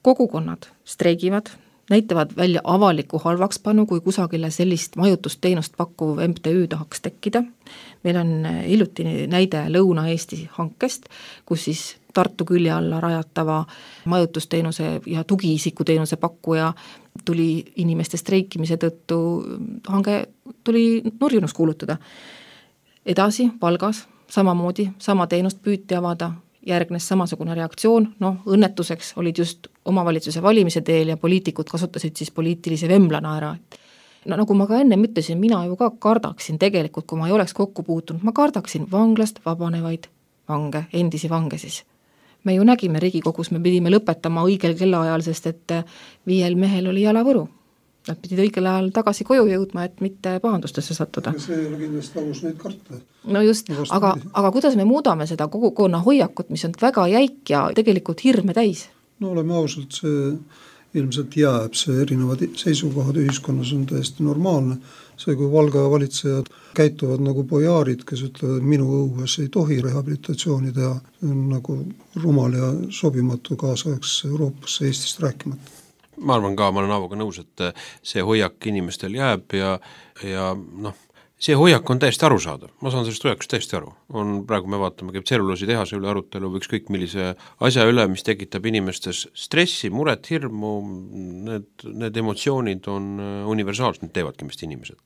Kogukonnad streigivad, näitavad välja avaliku halvakspanu, kui kusagile sellist majutusteenust pakkuv M T Ü tahaks tekkida. Meil on hiljuti näide Lõuna-Eesti hankest, kus siis Tartu külje alla rajatava majutusteenuse ja tugiisikuteenuse pakkuja tuli inimeste streikimise tõttu, hange tuli nurjunuks kuulutada. Edasi Valgas samamoodi, sama teenust püüti avada, järgnes samasugune reaktsioon, noh õnnetuseks olid just omavalitsuse valimise teel ja poliitikud kasutasid siis poliitilise vemblana ära. No nagu ma ka enne ütlesin, mina ju ka kardaksin tegelikult, kui ma ei oleks kokku puutunud, ma kardaksin vanglast vabanevaid vange, endisi vange siis. Me ju nägime Riigikogus, me pidime lõpetama õigel kellaajal, sest et viiel mehel oli jalavõru. Nad pidid õigel ajal tagasi koju jõudma, et mitte pahandustesse sattuda. See ei ole kindlasti aus neid karta. No just, aga, aga kuidas me muudame seda kogukonna hoiakut, mis on väga jäik ja tegelikult hirme täis? No oleme ausalt, see ilmselt jääb, see erinevad seisukohad ühiskonnas on täiesti normaalne. See, kui Valga valitsejad käituvad nagu pojaarid, kes ütlevad, et minu õues ei tohi rehabilitatsiooni teha, on nagu rumal ja sobimatu kaasaegses Euroopasse Eestist rääkimata. Ma arvan ka, ma olen Aavoga nõus, et see hoiak inimestel jääb ja, ja noh, see hoiak on täiesti arusaadav, ma saan sellest hoiakust täiesti aru. On, praegu me vaatame, käib tselluloosi tehase üle arutelu või ükskõik millise asja üle, mis tekitab inimestes stressi, muret, hirmu, need, need emotsioonid on universaalsed, need teevadki meist inimesed.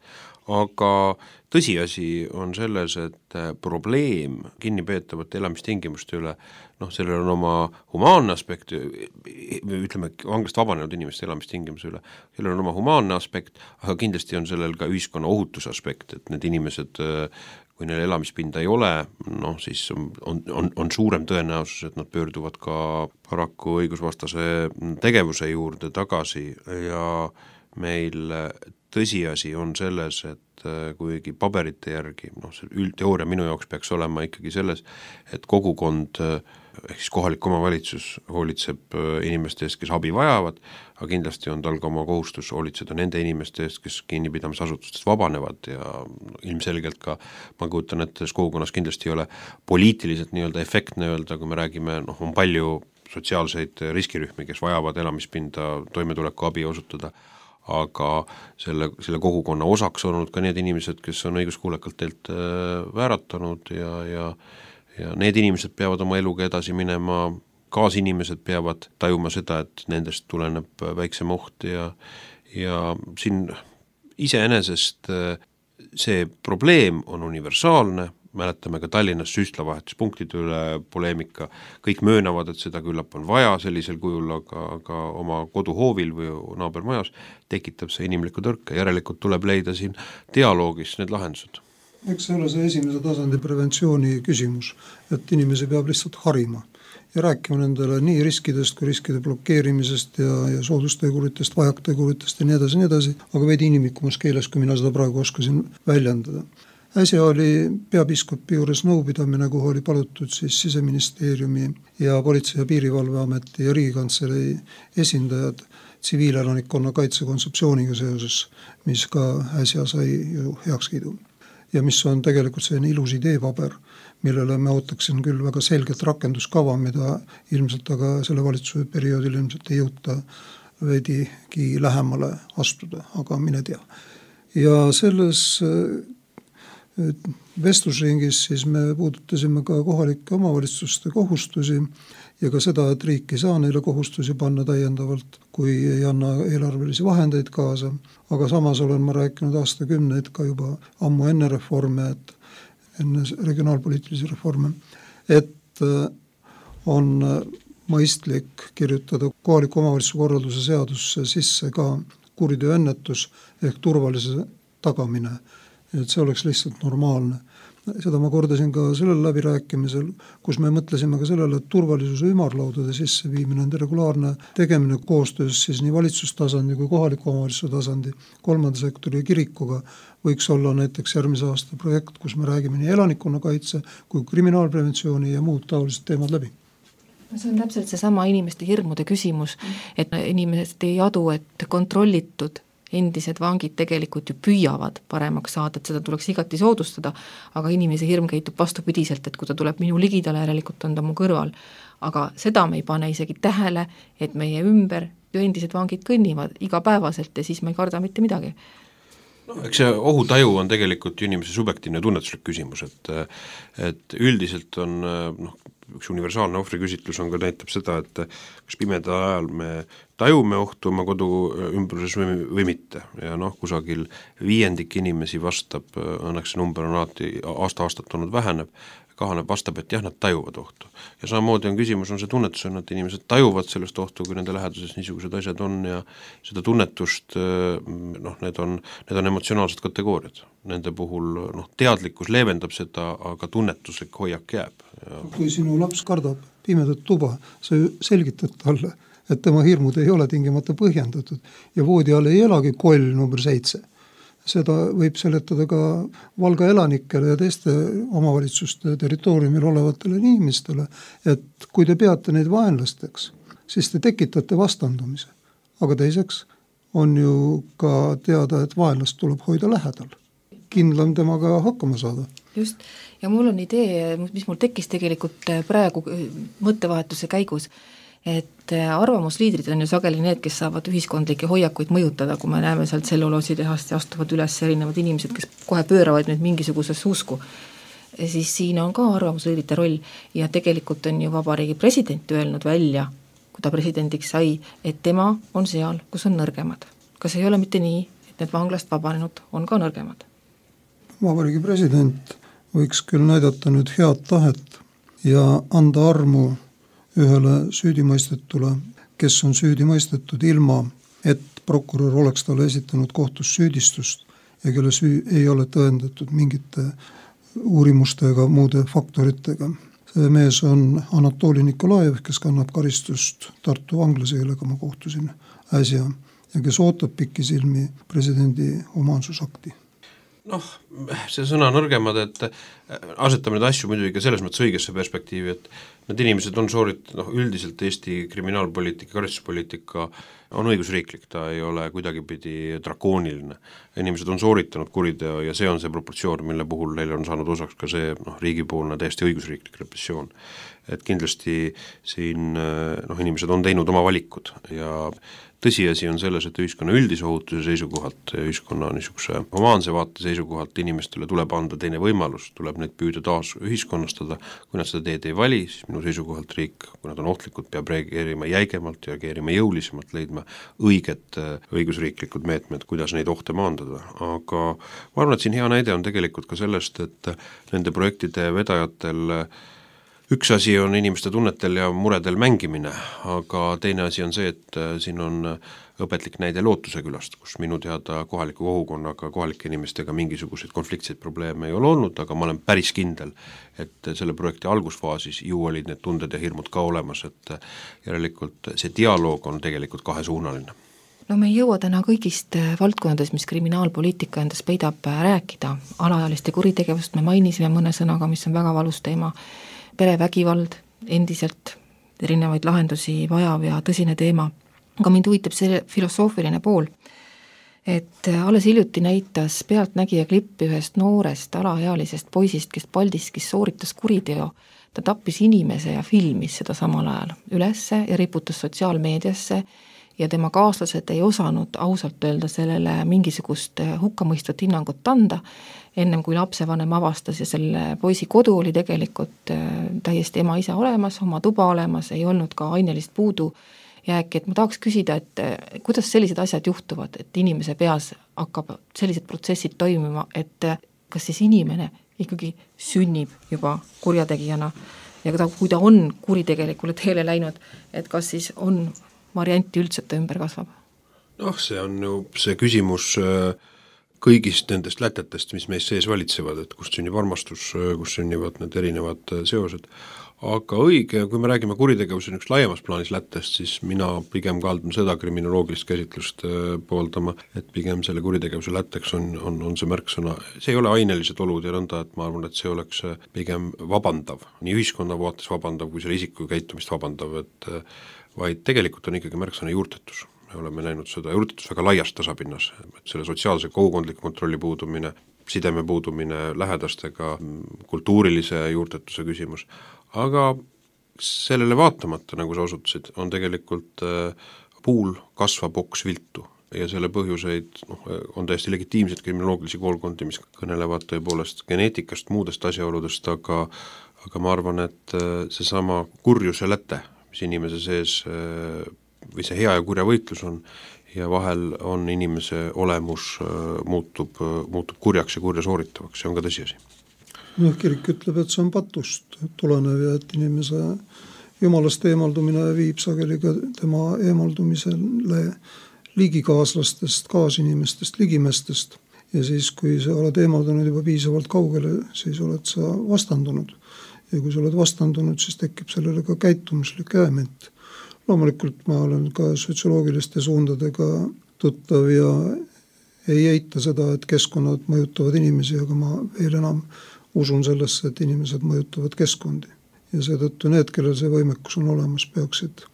Aga tõsiasi on selles, et probleem kinnipeetavate elamistingimuste üle, noh, sellel on oma humaanne aspekt, ütleme, vanglast vabanenud inimeste elamistingimuse üle, sellel on oma humaanne aspekt, aga kindlasti on sellel ka ühiskonna ohutuse aspekt, et need inimesed, kui neil elamispinda ei ole, noh, siis on, on, on suurem tõenäosus, et nad pöörduvad ka paraku õigusvastase tegevuse juurde tagasi ja meil tõsiasi on selles, et kuigi paberite järgi, noh see üldteooria minu jaoks peaks olema ikkagi selles, et kogukond ehk siis kohalik omavalitsus hoolitseb inimeste eest, kes abi vajavad, aga kindlasti on tal ka oma kohustus hoolitseda nende inimeste eest, kes kinnipidamisasutustest vabanevad ja ilmselgelt ka, ma kujutan, et kogukonnas kindlasti ei ole poliitiliselt nii-öelda efektne öelda, kui me räägime, noh on palju sotsiaalseid riskirühmi, kes vajavad elamispinda, toimetuleku abi osutada, aga selle, selle kogukonna osaks olnud ka need inimesed, kes on õiguskuulekalt teilt vääratanud ja, ja, ja need inimesed peavad oma eluga edasi minema, kaasinimesed peavad tajuma seda, et nendest tuleneb väiksem oht ja, ja siin iseenesest see probleem on universaalne, mäletame ka Tallinnas süstlavahetuspunktide üle poleemika, kõik möönavad, et seda küllap on vaja sellisel kujul, aga, aga oma koduhoovil või naabermajas tekitab see inimlikku tõrke, järelikult tuleb leida siin dialoogis need lahendused. Eks see ole see esimese tasandi preventsiooni küsimus, et inimesi peab lihtsalt harima ja rääkima nendele nii riskidest kui riskide blokeerimisest ja, ja soodusteguritest, vajakteguritest ja nii edasi, nii edasi, aga veidi inimlikumas keeles, kui mina seda praegu oskasin väljendada. Äsja oli peapiiskopi juures nõupidamine, kuhu oli palutud siis Siseministeeriumi ja Politsei- ja Piirivalveameti ja Riigikantselei esindajad tsiviilelanikkonna kaitse kontseptsiooniga seoses, mis ka äsja sai ju heakskiidu. Ja mis on tegelikult selline ilus ideepaber, millele me ootaksin küll väga selget rakenduskava, mida ilmselt aga selle valitsuse perioodil ilmselt ei jõuta veidigi lähemale astuda, aga mine tea. Ja selles vestlusringis siis me puudutasime ka kohalike omavalitsuste kohustusi ja ka seda, et riik ei saa neile kohustusi panna täiendavalt, kui ei anna eelarvelisi vahendeid kaasa, aga samas olen ma rääkinud aastakümneid ka juba ammu enne reforme, et enne regionaalpoliitilisi reforme, et on mõistlik kirjutada kohaliku omavalitsuse korralduse seadusse sisse ka kuritööennetus ehk turvalise tagamine, et see oleks lihtsalt normaalne. Seda ma kordasin ka sellel läbirääkimisel, kus me mõtlesime ka sellele, et turvalisuse ümarlaudade sisse viimine, nende regulaarne tegemine koostöös siis nii valitsustasandi kui kohaliku omavalitsuse tasandi, kolmanda sektori ja kirikuga võiks olla näiteks järgmise aasta projekt, kus me räägime nii elanikkonnakaitse kui kriminaalpreventsiooni ja muud taolised teemad läbi. See on täpselt seesama inimeste hirmude küsimus, et inimesed ei adu, et kontrollitud endised vangid tegelikult ju püüavad paremaks saada, et seda tuleks igati soodustada, aga inimese hirm käitub vastupidiselt, et kui ta tuleb minu ligidale, järelikult on ta mu kõrval. Aga seda me ei pane isegi tähele, et meie ümber ju endised vangid kõnnivad igapäevaselt ja siis me ei karda mitte midagi. No, eks see ohutaju on tegelikult inimese subjektiivne tunnetuslik küsimus, et, et üldiselt on noh, üks universaalne ohvriküsitlus on ka näitab seda, et kas pimeda ajal me tajume ohtu oma kodu ümbruses või, või mitte ja noh, kusagil viiendik inimesi vastab, õnneks see number on alati aasta-aastat olnud väheneb, kahaneb, vastab, et jah, nad tajuvad ohtu. Ja samamoodi on küsimus, on see tunnetus, on, et inimesed tajuvad sellest ohtu, kui nende läheduses niisugused asjad on ja seda tunnetust, noh, need on, need on emotsionaalsed kategooriad. Nende puhul noh, teadlikkus leevendab seda, aga tunnetuslik hoiak jääb. Ja... Kui sinu laps kardab pimedat tuba, sa selgitad talle, et tema hirmud ei ole tingimata põhjendatud ja voodi all ei elagi koll number seitse. Seda võib seletada ka Valga elanikele ja teiste omavalitsuste territooriumil olevatele inimestele, et kui te peate neid vaenlasteks, siis te tekitate vastandumise. Aga teiseks on ju ka teada, et vaenlast tuleb hoida lähedal. Kindlam temaga hakkama saada. Just, ja mul on idee, mis mul tekkis tegelikult praegu mõttevahetuse käigus, et arvamusliidrid on ju sageli need, kes saavad ühiskondlikke hoiakuid mõjutada, kui me näeme sealt selluloositehast ja astuvad üles erinevad inimesed, kes kohe pööravad nüüd mingisugusesse usku. Siis siin on ka arvamusliidrite roll ja tegelikult on ju vabariigi president öelnud välja, kui ta presidendiks sai, et tema on seal, kus on nõrgemad. Kas ei ole mitte nii, et need vanglast vabanenud on ka nõrgemad? Vabariigi president võiks küll näidata nüüd head tahet ja anda armu ühele süüdimõistetule, kes on süüdimõistetud ilma, et prokurör oleks talle esitanud kohtus süüdistust ja kelle süü ei ole tõendatud mingite uurimuste ega muude faktoritega. See mees on Anatoli Nikolajev, kes kannab karistust Tartu vanglas, kellega ma kohtusin äsja ja kes ootab pikisilmi presidendi humaansusakti. Noh, see sõna nõrgemad, et asetame neid asju muidugi ka selles mõttes õigesse perspektiivi, et need inimesed on soorit-, noh üldiselt Eesti kriminaalpoliitika, karistuspoliitika on õigusriiklik, ta ei ole kuidagipidi drakooniline. Inimesed on sooritanud kuriteo ja see on see proportsioon, mille puhul neile on saanud osaks ka see noh, riigipoolne täiesti õigusriiklik repressioon. Et kindlasti siin noh, inimesed on teinud oma valikud ja tõsiasi on selles, et ühiskonna üldise ohutuse seisukohalt, ühiskonna niisuguse humaanse vaate seisukohalt inimestele tuleb anda teine võimalus, tuleb neid püüda taas ühiskonnastada, kui nad seda teed ei vali, siis minu seisukohalt riik, kui nad on ohtlikud, peab reageerima jäigemalt, reageerima jõulisemalt, leidma õiget õigusriiklikud meetmed, kuidas neid ohte maandada, aga ma arvan, et siin hea näide on tegelikult ka sellest, et nende projektide vedajatel üks asi on inimeste tunnetel ja muredel mängimine, aga teine asi on see, et siin on õpetlik näide Lootuse külast, kus minu teada kohaliku kogukonnaga, kohalike inimestega mingisuguseid konfliktseid probleeme ei ole olnud, aga ma olen päris kindel, et selle projekti algusfaasis ju olid need tunded ja hirmud ka olemas, et järelikult see dialoog on tegelikult kahesuunaline. No me ei jõua täna kõigist valdkondades, mis kriminaalpoliitika endas peidab rääkida. Alaealiste kuritegevust me mainisime mõne sõnaga, mis on väga valus teema. Perevägivald endiselt erinevaid lahendusi vajav ja tõsine teema. Aga mind huvitab see filosoofiline pool, et alles hiljuti näitas pealtnägija klippi ühest noorest alaealisest poisist, kes Paldiskis sooritas kuriteo. Ta tappis inimese ja filmis seda samal ajal ülesse ja riputas sotsiaalmeediasse ja tema kaaslased ei osanud ausalt öelda sellele mingisugust hukkamõistvat hinnangut anda, ennem kui lapsevanem avastas ja selle poisi kodu oli tegelikult täiesti ema isa olemas, oma tuba olemas, ei olnud ka ainelist puudu jääki, et ma tahaks küsida, et kuidas sellised asjad juhtuvad, et inimese peas hakkab sellised protsessid toimima, et kas siis inimene ikkagi sünnib juba kurjategijana ja kui ta on kuritegelikule teele läinud, et kas siis on varianti üldse, et ta ümber kasvab? Noh, see on ju see küsimus kõigist nendest lätetest, mis meis sees valitsevad, et kust sünnib armastus, kus sünnivad need erinevad seosed. Aga õige, kui me räägime kuritegevuse üks laiemas plaanis lättest, siis mina pigem kaldun seda kriminoloogilist käsitlust pooldama, et pigem selle kuritegevuse lätteks on, on, on see märksõna. See ei ole ainelised olud ja nõnda, et ma arvan, et see oleks pigem vabandav, nii ühiskonna vaates vabandav, kui selle isiku käitumist vabandav, et vaid tegelikult on ikkagi märksõna juurtetus. Me oleme näinud seda juurtetus väga laiast tasapinnas, et selle sotsiaalse kogukondliku kontrolli puudumine, sideme puudumine lähedastega, kultuurilise juurtetuse küsimus, aga sellele vaatamata, nagu sa osutasid, on tegelikult puul kasvab oks viltu ja selle põhjuseid noh, on täiesti legitiimsed kriminoloogilisi koolkondi, mis kõnelevad tõepoolest geneetikast, muudest asjaoludest, aga, aga ma arvan, et seesama kurjuse läte, mis inimese sees või see hea ja kurja võitlus on ja vahel on inimese olemus muutub, muutub kurjaks ja kurja sooritavaks, see on ka tõsiasi. No, kirik ütleb, et see on patust tulenev ja et inimese jumalast eemaldumine viib sageli ka tema eemaldumisele ligikaaslastest, kaasinimestest, ligimestest ja siis, kui sa oled eemaldunud juba piisavalt kaugele, siis oled sa vastandunud ja kui sa oled vastandunud, siis tekib sellele ka käitumuslik element. Loomulikult ma olen ka sotsioloogiliste suundadega tuttav ja ei eita seda, et keskkonnad mõjutavad inimesi, aga ma veel enam usun sellesse, et inimesed mõjutavad keskkondi. Ja seetõttu need, kellel see võimekus on olemas, peaksid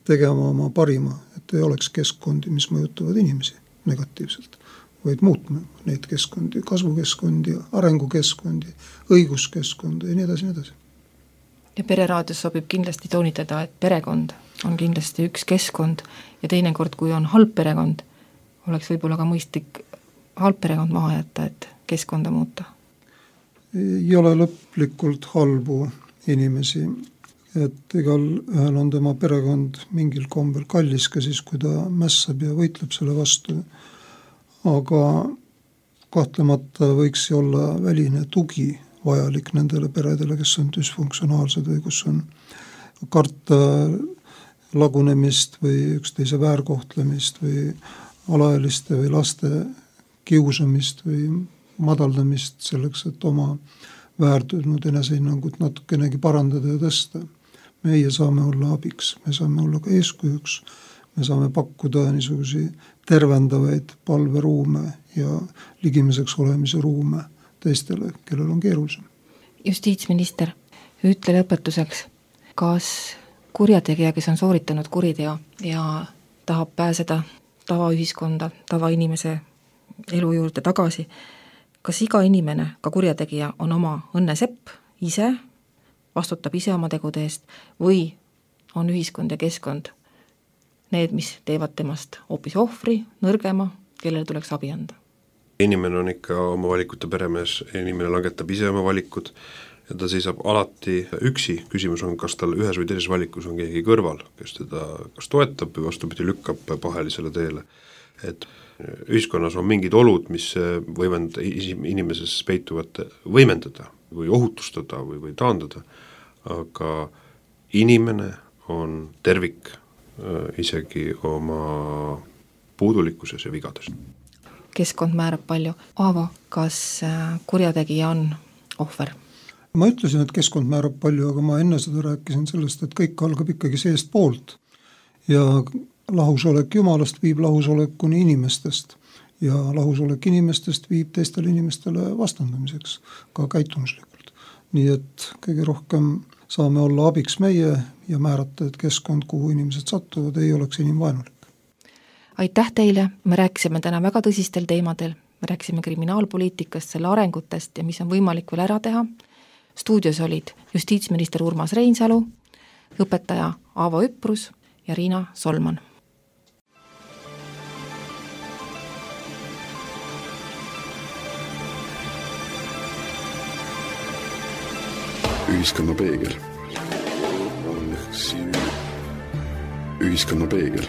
tegema oma parima, et ei oleks keskkondi, mis mõjutavad inimesi negatiivselt, vaid muutma neid keskkondi, kasvukeskkondi, arengukeskkondi, õiguskeskkondi ja nii edasi, nii edasi. Ja pereraadios sobib kindlasti toonitada, et perekond on kindlasti üks keskkond ja teinekord, kui on halb perekond, oleks võib-olla ka mõistlik halb perekond maha jätta, et keskkonda muuta. Ei ole lõplikult halbu inimesi, et igal ühel on tema perekond mingil kombel kallis ka siis, kui ta mässab ja võitleb selle vastu, aga kahtlemata võiks olla väline tugi vajalik nendele peredele, kes on düsfunktsionaalsed või kus on karta lagunemist või üksteise väärkohtlemist või alaealiste või laste kiusamist või madaldamist selleks, et oma väärtunud enesehinnangut natukenegi parandada ja tõsta. Meie saame olla abiks, me saame olla ka eeskujuks, me saame pakkuda niisugusi tervendavaid palveruume ja ligimiseks olemise ruume teistele, kellel on keerulisem. Justiitsminister, ütle lõpetuseks, kas kurjategija, kes on sooritanud kuriteo ja tahab pääseda tavaühiskonda, tavainimese elu juurde tagasi, kas iga inimene, ka kurjategija, on oma õnnesepp ise, vastutab ise oma tegude eest või on ühiskond ja keskkond need, mis teevad temast hoopis ohvri, nõrgema, kellele tuleks abi anda? Inimene on ikka oma valikute peremees, inimene langetab ise oma valikud ja ta seisab alati üksi. Küsimus on, kas tal ühes või teises valikus on keegi kõrval, kes teda kas toetab või vastupidi lükkab pahelisele teele. Et ühiskonnas on mingid olud, mis võivad inimeses peituvat võimendada või ohutustada või, või taandada, aga inimene on tervik isegi oma puudulikkuses ja vigades. Keskkond määrab palju. Aavo, kas kurjategija on ohver? Ma ütlesin, et keskkond määrab palju, aga ma enne seda rääkisin sellest, et kõik algab ikkagi seest poolt ja lahusolek Jumalast viib lahusolekuni inimestest ja lahusolek inimestest viib teistele inimestele vastandamiseks ka käitumuslikult. Nii et kõige rohkem saame olla abiks meie ja määrata, et keskkond, kuhu inimesed sattuvad, ei oleks inimvaenulik. Aitäh teile, me rääkisime täna väga tõsistel teemadel, me rääkisime kriminaalpoliitikast, selle arengutest ja mis on võimalik veel ära teha. Stuudios olid justiitsminister Urmas Reinsalu, õpetaja Aavo Üprus ja Riina Solman. Ühiskonna peegel. Ühiskonna peegel.